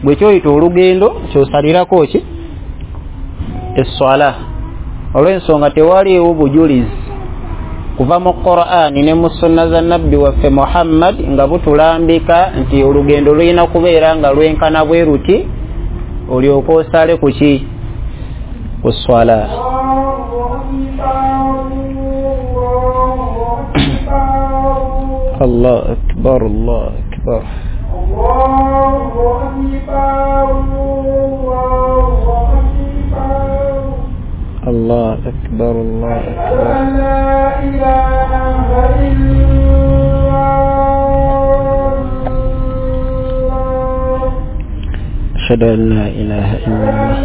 bwe kyoyita olugendo kyosalirako ki esswala, olw'ensonga tewaliiwo bujulizi Kuva mu Qur'ani ne mu sunna za nabbi waffe Muhammad nga butulambika nti olugendo lulina kubeera nga lwenkana bwe ruti olyoka osale ku ki? Ku swala. Allah akbar, Allah akbar. Allah akbar, Allah akbar. أشهد أن لا إله إلا الله.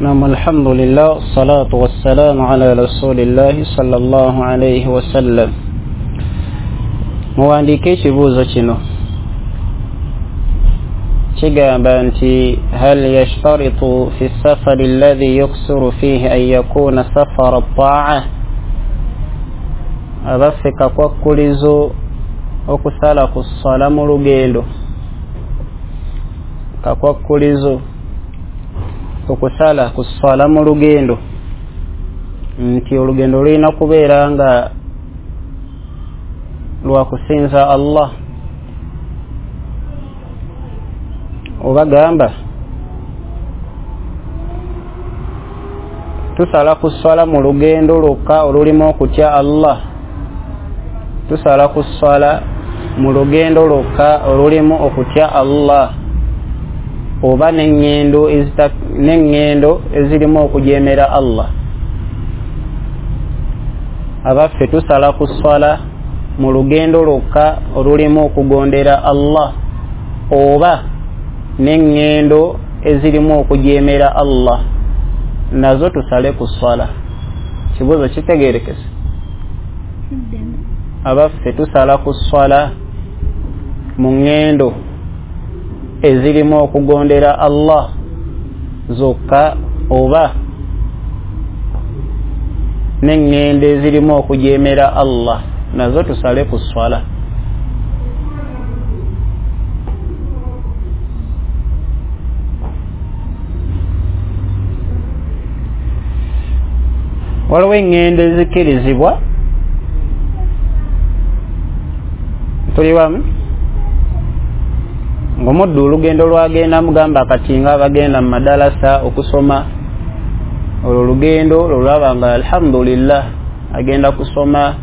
نعم، الحمد لله والصلاة والسلام على رسول الله صلى الله عليه وسلم. Muwandiike ekibuuzo kino kigamba nti hal yashtaritu fi safari alladhi yuksuru fihi an yakuna safara ta'a. Abaffe kakwakkulizo okusala ku ssala mu lugendo, kakwakkulizo okusala ku ssala mu lugendo nti olugendo lulina kubeera nga lwa kusinza Allah. Oba gamba tusala ku ssala mu lugendo lwokka olulimu okutya Allah, tusala ku ssala mu lugendo lwokka olulimu okutya Allah, oba n'eŋŋendo ezirimu okujeemera Allah. Abaffe tusala ku ssala mu lugendo lwokka olulimu okugondera Allah, oba n'eŋŋendo ezirimu okujeemera Allah nazo tusale ku ssala. Kibuuzo kitegeerekese. Abaffe tusala ku ssala mu ŋŋendo ezirimu okugondera Allah zokka, oba n'eŋŋendo ezirimu okujeemera Allah nazo tusale ku ssala. Waliwo eŋŋendo ezikkirizibwa, tuli wamu, ng'omuddu olugendo lwagenda mugamba kati nga abagenda mu madalasa okusoma, olwo olugendo lwolaba nga alhamdulillah agenda kusoma,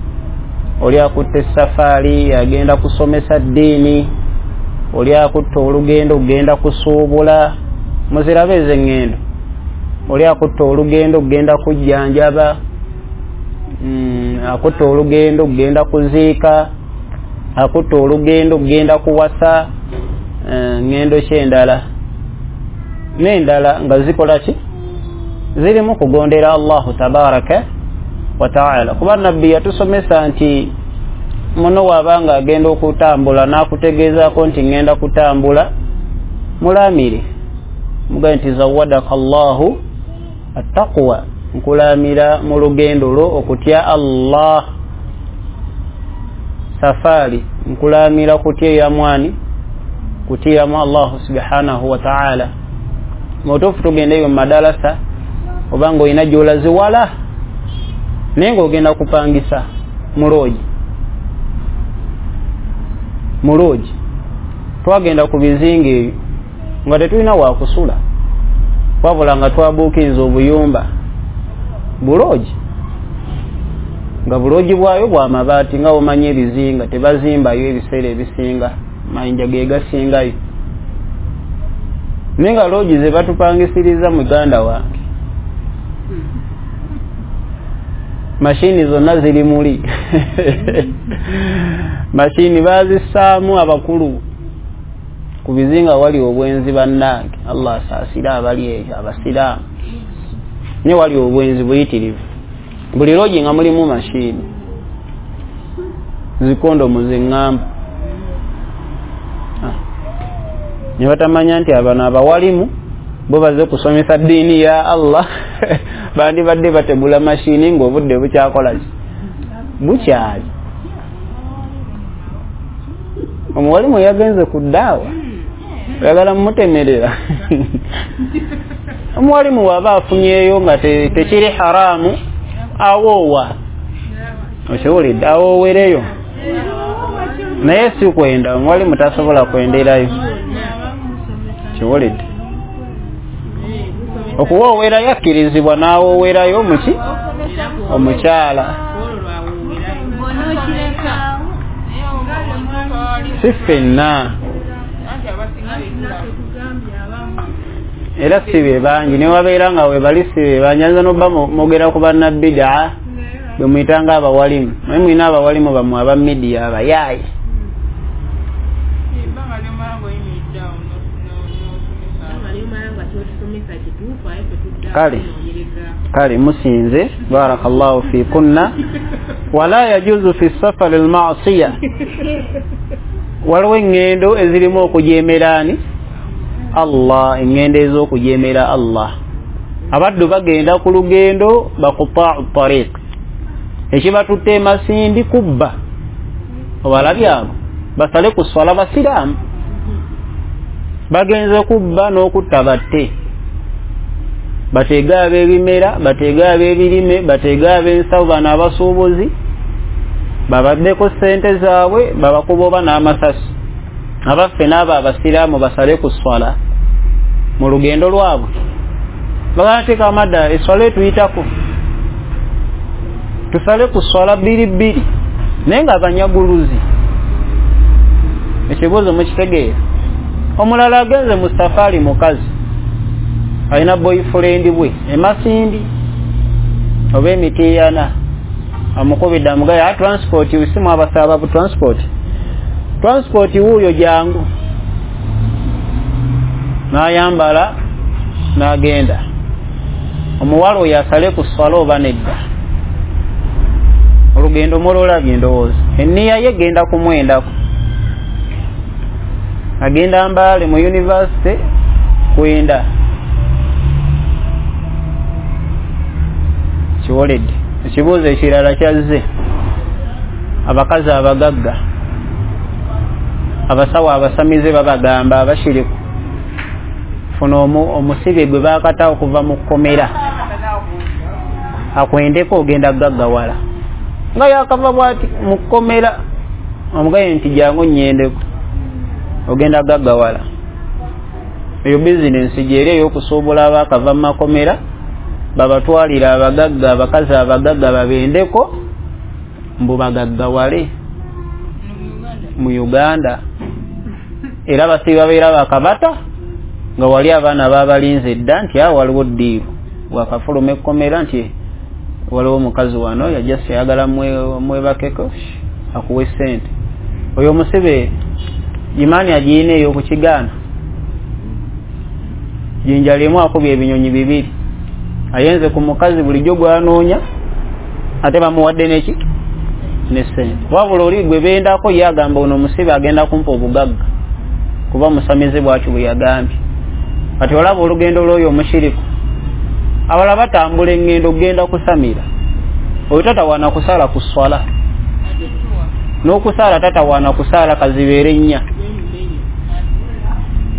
oli akutte safaari agenda kusomesa ddiini, oli akutte olugendo kugenda kusuubula, muzirabe ezo eŋŋendo, oli akutte olugendo kugenda kujjanjaba, akutte olugendo kugenda kuziika, akutte olugendo kugenda kuwasa, ŋŋendo ki endala n'endala nga zikola ki? Zirimu kugondera Allahu tabaraka wa taala. Kuba nabbi yatusomesa nti muno wabanga agenda okutambula n'akutegeezaako nti ŋŋenda kutambula, mulamire mugambe nti zawadaka Allahu attaqwa, nkulamira mu lugendo lwo okutya Allah. Safari nkulamira kutya mwani, kutya mu Allah subhanahu wa ta'ala. Mutuufu tugendeyo mu madalasa obanga olina gy'olaziwala naye ng'ogenda kupangisa muloogi, muloogi. Twagenda ku bizinga ebyo nga tetulina wakusula, wabula nga twabuukinza obuyumba buloogi, nga buloogi bwayo bwa mabaati nga omanyi ebizinga tebazimbayo ebiseera ebisinga, mayinja ge gasingayo, naye nga loogi ze batupangisiriza muganda wange, mashini zonna ziri muli mashini bazissaamu abakulu ku bizinga wali obwenzi bannange. Allah asaasire abali eyo abasiraamu, naye wali obwenzi buyitirivu. Buli loogi nga mulimu mashini zikondomu zeŋŋamba, ne batamanya nti abano abawalimu bo baze kusomesa ddiini ya Allah bandibadde bategula mashini ng'obudde bukyakola ki? Bukyali. Omuwalimu yagenze ku ddaawa, oyagala mumutemerera. Omuwalimu waba afunyeeyo nga tekiri haramu, awoowa, okiwulidde, awoowereyo, naye si kwenda. Omuwalimu tasobola kwenderayo, kiwulidde. Okuwoowerayo akkirizibwa n'awoowerayo muki omukyala, si ffenna, era si be bangi. Newabeera nga webali si be bangi. Ayinza n'obba mwogera ku bannabidaa bwe muyitanga abawalimu, naye mulina abawalimu bammwe aba midiya abayaayi. Kale kale musinze, barakallahu fikunna. Wala yajuzu fi safari almasiya, waliwo eŋŋendo ezirimu okujeemera ani Allah, eŋŋendo ez'okujeemera Allah. Abaddu bagenda ku lugendo bakutaau tariq, ekibatutte emasindi kubba, obalabye abo basale ku swala, basiraamu bagenze kubba n'okutta, batte, bateege ab'ebimera, bateege ab'ebirime, bateege ab'ensawo, bano abasuubuzi babaddeko ssente zaabwe, babakuba oba n'amasasi. Abaffe n'abo abasiraamu basale ku swala mu lugendo lwabwe, bagateeka amadda eswala etuyitako, tusale ku swala bbiri bbiri, naye nga abanyaguluzi. Ekibuuzo mukitegeera? Omulala agenze mu safaari, mukazi alina boyfriend bwe emasindi oba emitiyana, amukubidde amugaye transport, simu abasaba bu transport, transport wuuyo jangu, n'ayambala n'agenda. Omuwala oyo asale ku swala oba nedda? Olugendo mululabye, ndowooza enniya ye genda kumwendako, agenda Mbaale mu university kwenda. Kiwoledde. Ekibuuzo ekirala kyazze, abakazi abagagga, abasawo abasamize babagamba abashiriku, funa omusibe gwe bakata okuva mu kkomera akwendeko, ogenda gaggawala. Nga yakava bwati mu kkomera, omugaye nti jangu nnyendeko, ogenda gaggawala. Eyo bizinensi gyeri ey'okusuubula abaakava mu makomera, babatwalira abagagga, abakazi abagagga babendeko mbu bagaggawale mu Uganda. Era basibe babeera bakabata nga wali abaana babalinze dda nti awo waliwo ddiiru, wakafuluma ekkomera nti waliwo omukazi wano yajja ayagala mwebakeko akuwe ssente. Oyo omusibe imaani agiyina ey'okukigaana, jinja limu akubye ebinyonyi bibiri, ayenze ku mukazi bulijjo gwanoonya, ate bamuwadde neki ne ssente. Wabula oli gwe bendako ye agamba ono omusibe agenda kumpa obugagga kuba musamize bwatyo bwe yagambye. Kati olaba olugendo lw'oyo omushiriku, abalala batambula eŋŋendo okugenda kusamira, oyo tatawaana kusaala ku swala, n'okusaala tatawaana kusaala kazibeere nnya,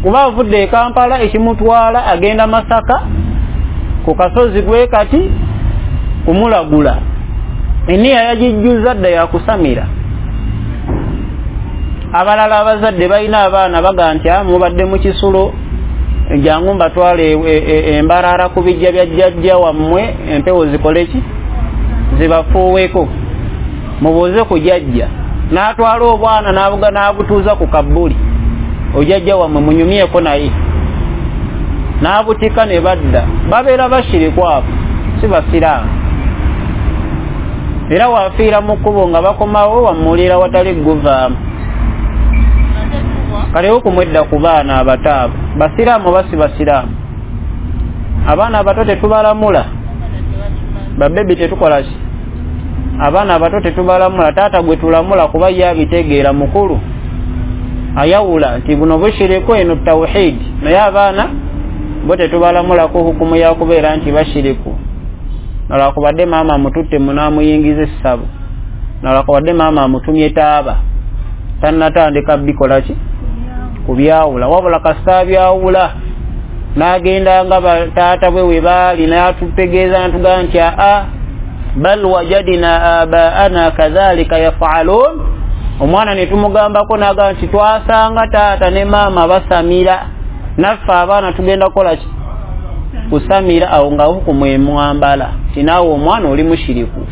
kuba avudde e Kampala ekimutwala agenda Masaka ku kasozi gwe kati kumulagula, enniya yagijjuza dda yakusamira. Abalala abazadde balina abaana baga nti mubadde mu kisulo, jangu mbatwale embarara ku bijja bya jjajja wammwe, empewo zikole ki, zibafuuweko, mubuuze ku jjajja. N'atwala obwana n'abutuuza ku kabbuli, ojjajja wammwe munyumyeko naye, n'abutika ne badda. Babeera bashiriku abo, si basiraamu. Era wafiira mu kkubo nga bakomawo wamuwulira watali guvaamu. Kale okumwedda ku baana abato abo, basiraamu oba si basiraamu? Abaana abato tetubalamula, babebi tetukola ki, abaana abato tetubalamula. Taata gwe tulamula kuba ye abitegeera, mukulu ayawula nti buno bushiriku, eno tawhidi. Naye abaana bo tetubalamulako hukumu yakubeera nti bashiriku, nalwakubadde maama amututte munaamuyingiza essabo, nalwakubadde maama amutumye taaba, tannatandika bikola ki kubyawula. Wabula kasita abyawula N'agenda nga bataata bwe we baali n'atutegeeza n'atugamba nti aa bal wajadina abaana kadhalika yafalun. Omwana ne tumugambako n'agamba nti twasanga taata ne maama basamira, naffe abaana tugenda kukola ki? Kusamira. Awo nga hukumu emwambala ti naawe omwana oli mushiriku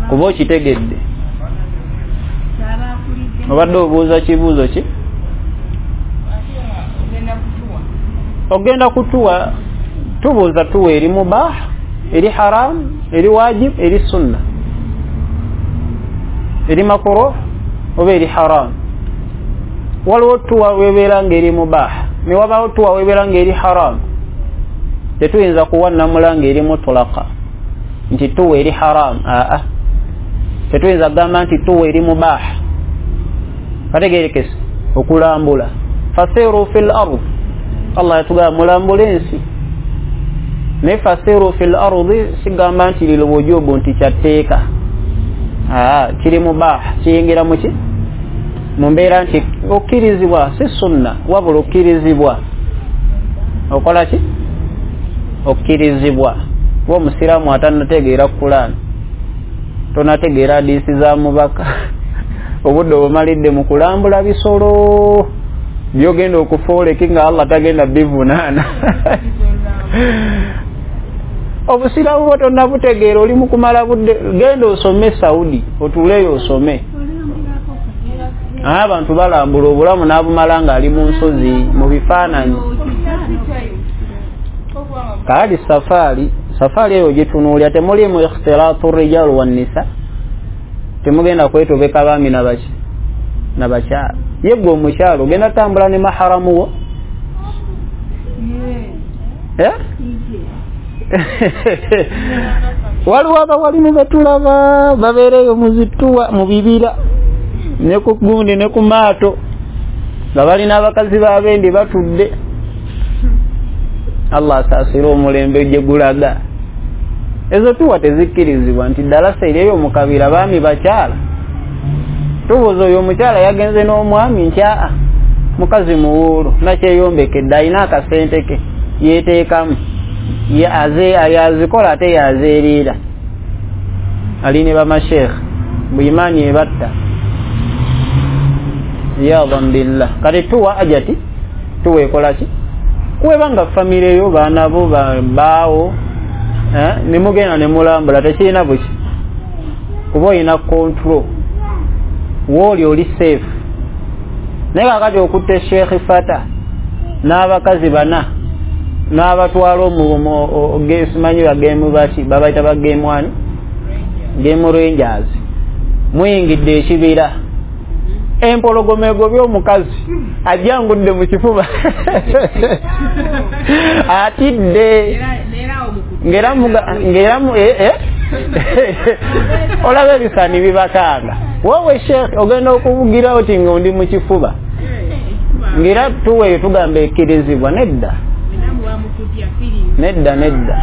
kuba okitegedde. Obadde obuuza kibuuzo ki? Ogenda kutuwa. Tubuuza tuwa eri mubah, eri haram, eri wajib, eri sunna, eri makruh oba eri haram. Waliwo tuwa webeera nga eri mubah, ne wabaawo tuwa webeera nga eri haram. Tetuyinza kuwa nnamula nga eri mutulaka nti tuwa eri haram. Aa, tetuyinza kugamba nti tuwa eri mubah. Kategerekese okulambula, fasiru fil ard, Allah yatugamba mulambule ensi. Naye fasiru fil ardi sigamba nti lilwujubu nti kyatteeka. Aa, kiri mubah, kiyingira muki? Mu mbeera nti okkirizibwa, si sunna wabula okkirizibwa. Okola ki? Okkirizibwa. Kuba omusiraamu atannategeera Kulaani, tonategeera hadiisi za mubaka, obudde obumalidde mu kulambula bisolo byogenda okufooleki nga Allah tagenda bivunaana. Obusiraamu bwo tonnabutegeera, oli mu kumala budde. Genda osome Saudi, otuuleyo osome. Abantu balambula obulamu n'abumala ng'ali mu nsozi mu bifaananyi. Kaali safaari, safaari eyo gitunuulira temulimu ikhtilaatu rijal wannisa, temugenda kwetobeka baami nabaki nabakyala. Ye gwe omukyala ogenda tambula ne maharamu wo? Waliwo abawalimu betulaba babeereyo mu zituwa mu bibira ne ku gundi ne ku maato nga balina abakazi babendi batudde. Allah asaasire omulembe gye gulaga. Ezo tuwa tezikkirizibwa nti ddalasa eryeyo mu kabira baami bakyala. Tubuuza oyo omukyala yagenze n'omwami nti aa mukazi muwuulu nakyeyombekedde alina akasente ke yeeteekamu, yazikola ate yazeeriira. Ali ne bamasheekha buimaani ebatta iyadan billah. Kati tuwa ajati tuwa ekola ki? Kuweba nga famire yo baana bo baawo nemugenda nemulambula tekirina buki, kuba olina control wooli oli safe. Naye kakati okutte Sheikh Fata n'abakazi bana n'abatwala simanyi bagemu baki babayita bagemu ani game rangers, muyingidde ekibira, empologoma egobye omukazi ajjangudde mu kifuba atidde ngera olaba ebisaani bibakanga. Wowe Sheikh ogenda okuvugira oti nga ndi mu kifuba, ngera tuweeyo tugamba ekkirizibwa. Nedda nedda nedda,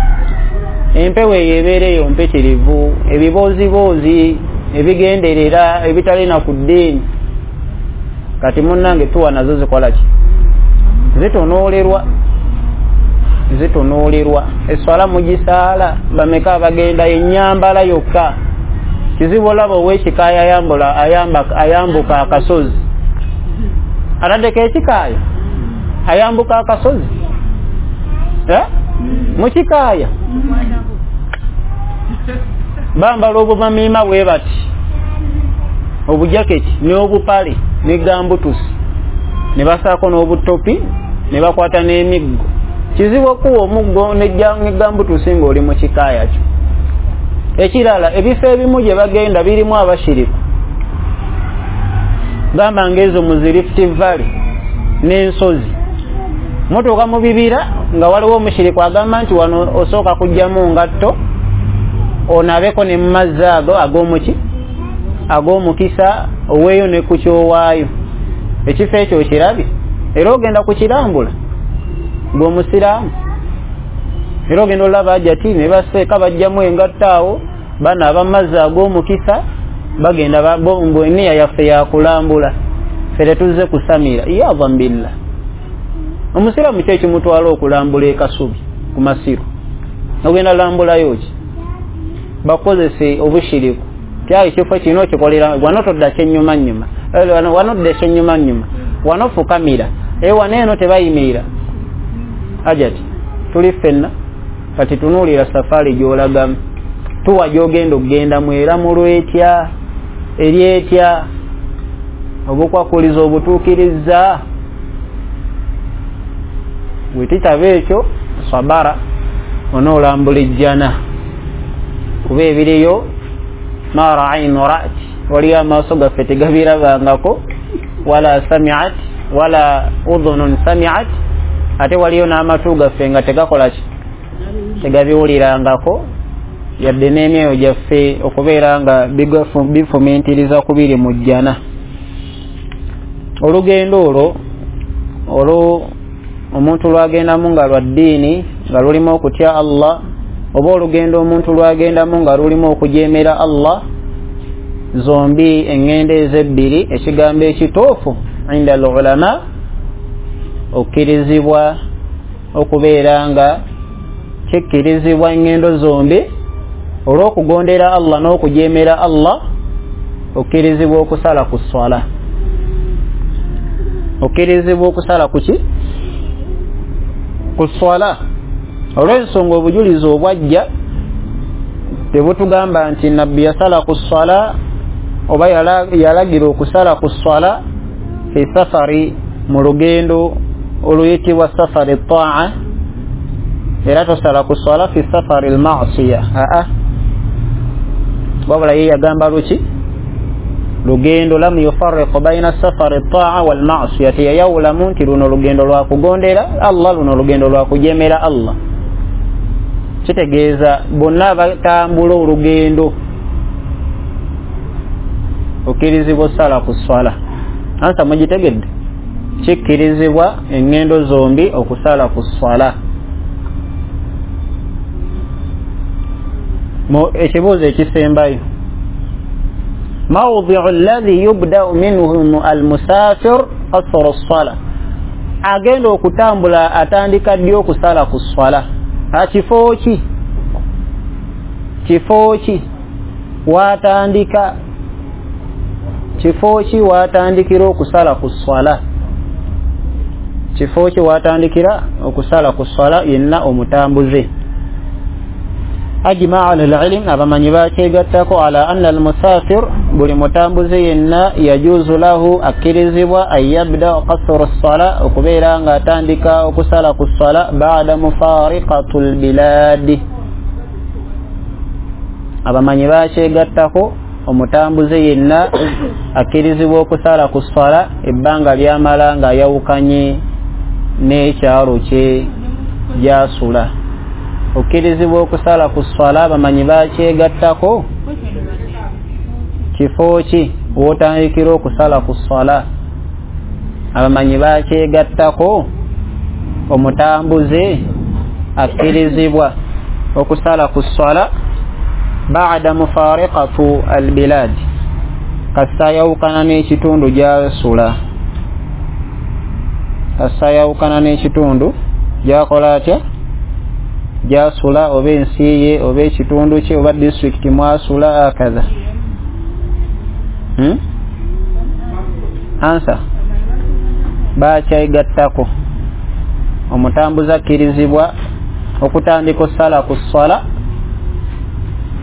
empewo eyo ebeera eyo mpitirivu, ebibooziboozi ebigenderera ebitalina ku ddiini. Kati munnange tuwa nazo zikola ki? Zitunuulirwa, zitunuulirwa. Eswala mugisaala bameka abagenda ennyambala yokka. Kizibu olaba ow'ekikaaya ayambuka akasozi, ataddeko ekikaaya ayambuka akasozi mu kikaaya bambala obumamiima bwe bati, obujaketi n'obupale ne gambutusi ne basaako n'obutopi ne bakwata n'emiggo. Kizibu okuwa omuggo ne gambutusi ng'oli mu kikaaya kyo. Ekirala, ebifo ebimu gye bagenda birimu abashiriku, gamba ng'ezo mu zi Rift Valley n'ensozi. Mutuuka mu bibira nga waliwo omushiriku agamba nti wano osooka kujjamu ngatto onaabeko ne mu mazzi ago ag'omuki ag'omukisa oweeyo ne ku kyowaayo. Ekifo ekyo okirabye era ogenda kukirambula ng'omusiraamu, era ogenda olaba ajati ne baseeka bajjamu engatto awo banaaba mu mazzi ag'omukisa bagenda eniya yaffe yakulambula, ffe tetuzze kusamira. Iyadan billah. Omusiraamu ki ekimutwala okulambula ekasubi ku masiru? Ogenda lambulayo ki? Bakozese obushiriku. Kyali ekifo kino kikolera wano todda kyennyuma nnyuma, wano dda kyennyuma nnyuma, wano fukamira, wano eno tebayimirira. Ajati tuli ffenna kati tunuulira safaari gy'olagamu, tuwa gy'ogenda okugendamu eramulwa etya, eri etya, obukwakuliza obutuukiriza. Bwe kitaba ekyo sabara onoolambula ejjana, kuba ebiriyo ma ra'aynu ra'at, waliyo amaaso gaffe tegabirabangako, wala sami'at wala udhunun sami'at, ate waliyo n'amatu gaffe nga tegakola ki, tegabiwulirangako, yadde n'emyoyo gyaffe okubeera nga bifumintiriza ku biri mu jjana. Olugendo olwo omuntu lwagendamu nga lwa ddiini, nga lulimu okutya Allah, oba olugendo omuntu lwagendamu nga lulimu okujeemera Allah, zombi eŋŋendo ezebbiri ekigambo ekituufu inda al ulama okkirizibwa okubeera nga kikkirizibwa eŋŋendo zombi olw'okugondera Allah n'okujeemera Allah, okkirizibwa okusala ku swala. Okkirizibwa okusala ku ki? Ku swala. Olw'ensonga obujulizi obwajja tebutugamba nti nabbi yasala ku swala oba yalagira okusala ku swala fi safari, mu lugendo oluyitibwa safari taa, era tosala ku swala fi safari al-ma'siya. Aa, wabula ye yagamba luki? Lugendo lam yufarriqu baina safari taa wal ma'siya, teyayawulamu nti luno lugendo lwa kugondera Allah, luno lugendo lwa kujemera Allah. Kitegeeza bonna batambula olugendo okkirizibwa osala ku swala. Ansa mugitegedde? Kikkirizibwa eŋŋendo zombi okusala ku swala. Ekibuuzo ekisembayo, mawdiu alladhi yubdau minhu almusafir qasru ssala, agenda okutambula atandika ddi okusala ku swala? Kifo ki? Kifo ki watandika? Kifo ki watandikira okusala ku swala? Kifo ki watandikira okusala ku swala yenna omutambuze? Ajmaa ahlul-ilm, abamanyi bakyegattako ala anna al-musafir, buli mutambuze yenna yajuzu lahu, akkirizibwa an yabda qasru ssala, okubeera nga atandika okusala ku swala ba'da mufariqatul biladi. Abamanyi bakyegattako omutambuze yenna akkirizibwa okusala ku swala ebbanga lyamala nga ayawukanye n'ekyalo kye gyasula. Okkirizibwa okusala ku swala abamanyi bakyegattako kifo ki w'otandikira okusala ku swala? Abamanyi bakyegattako omutambuze akkirizibwa okusala ku swala ba'da mufariqatu albilad, kasita ayawukana n'ekitundu gyasula, kasita ayawukana n'ekitundu gyakola atya, gyasula, oba ensi ye oba ekitundu kye oba disitulikiti mwasula akadha. Ansa bakyegattako omutambuze akkirizibwa okutandika osala ku swala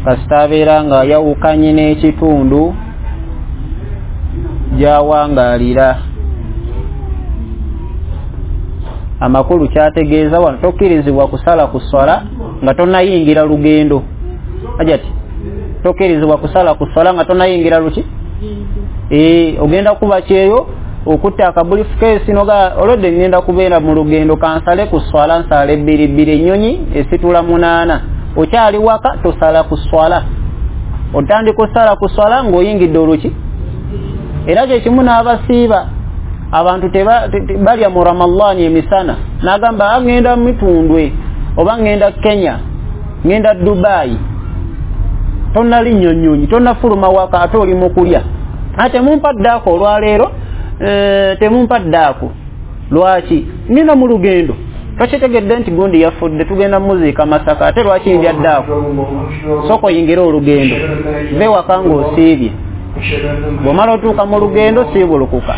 kasita abeera nga ayawukanye n'ekitundu gyawangaalira. Amakulu kyategeeza wano tokkirizibwa kusala ku swala nga tonnayingira lugendo. Ajati tokkirizibwa kusala ku swala nga tonnayingira luki? Ogenda kuba kyeyo okutta akabulifukeesi noga olwedde ngenda kubeera mu lugendo kansale ku swala nsale bbiri bbiri, ennyonyi esitula 8, okyali waka tosala ku swala. Otandika osala ku swala ng'oyingidde oluki. Era kyekimu n'abasiiba, abantu balya mu Ramadhani emisana, n'agamba ngenda Mitundwe oba ngenda Kenya, ngenda Dubai, tonnalinnya nnyonyi, tonnafuluma waka, ate oli mu kulya. Ate temumpa ddaako olwaleero, temumpa ddaako. Lwaki nina mu lugendo tokitegedde nti gundi yafudde, tugenda muziika Masaka, ate lwaki ndyaddaako? Sooka oyingire olugendo, ve waka ng'osiibye, bw'omala otuuka mu lugendo siibulukuka.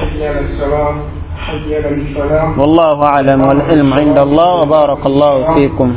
Wallahu a'lam wal ilmu inda Allah wa barakallahu fikum.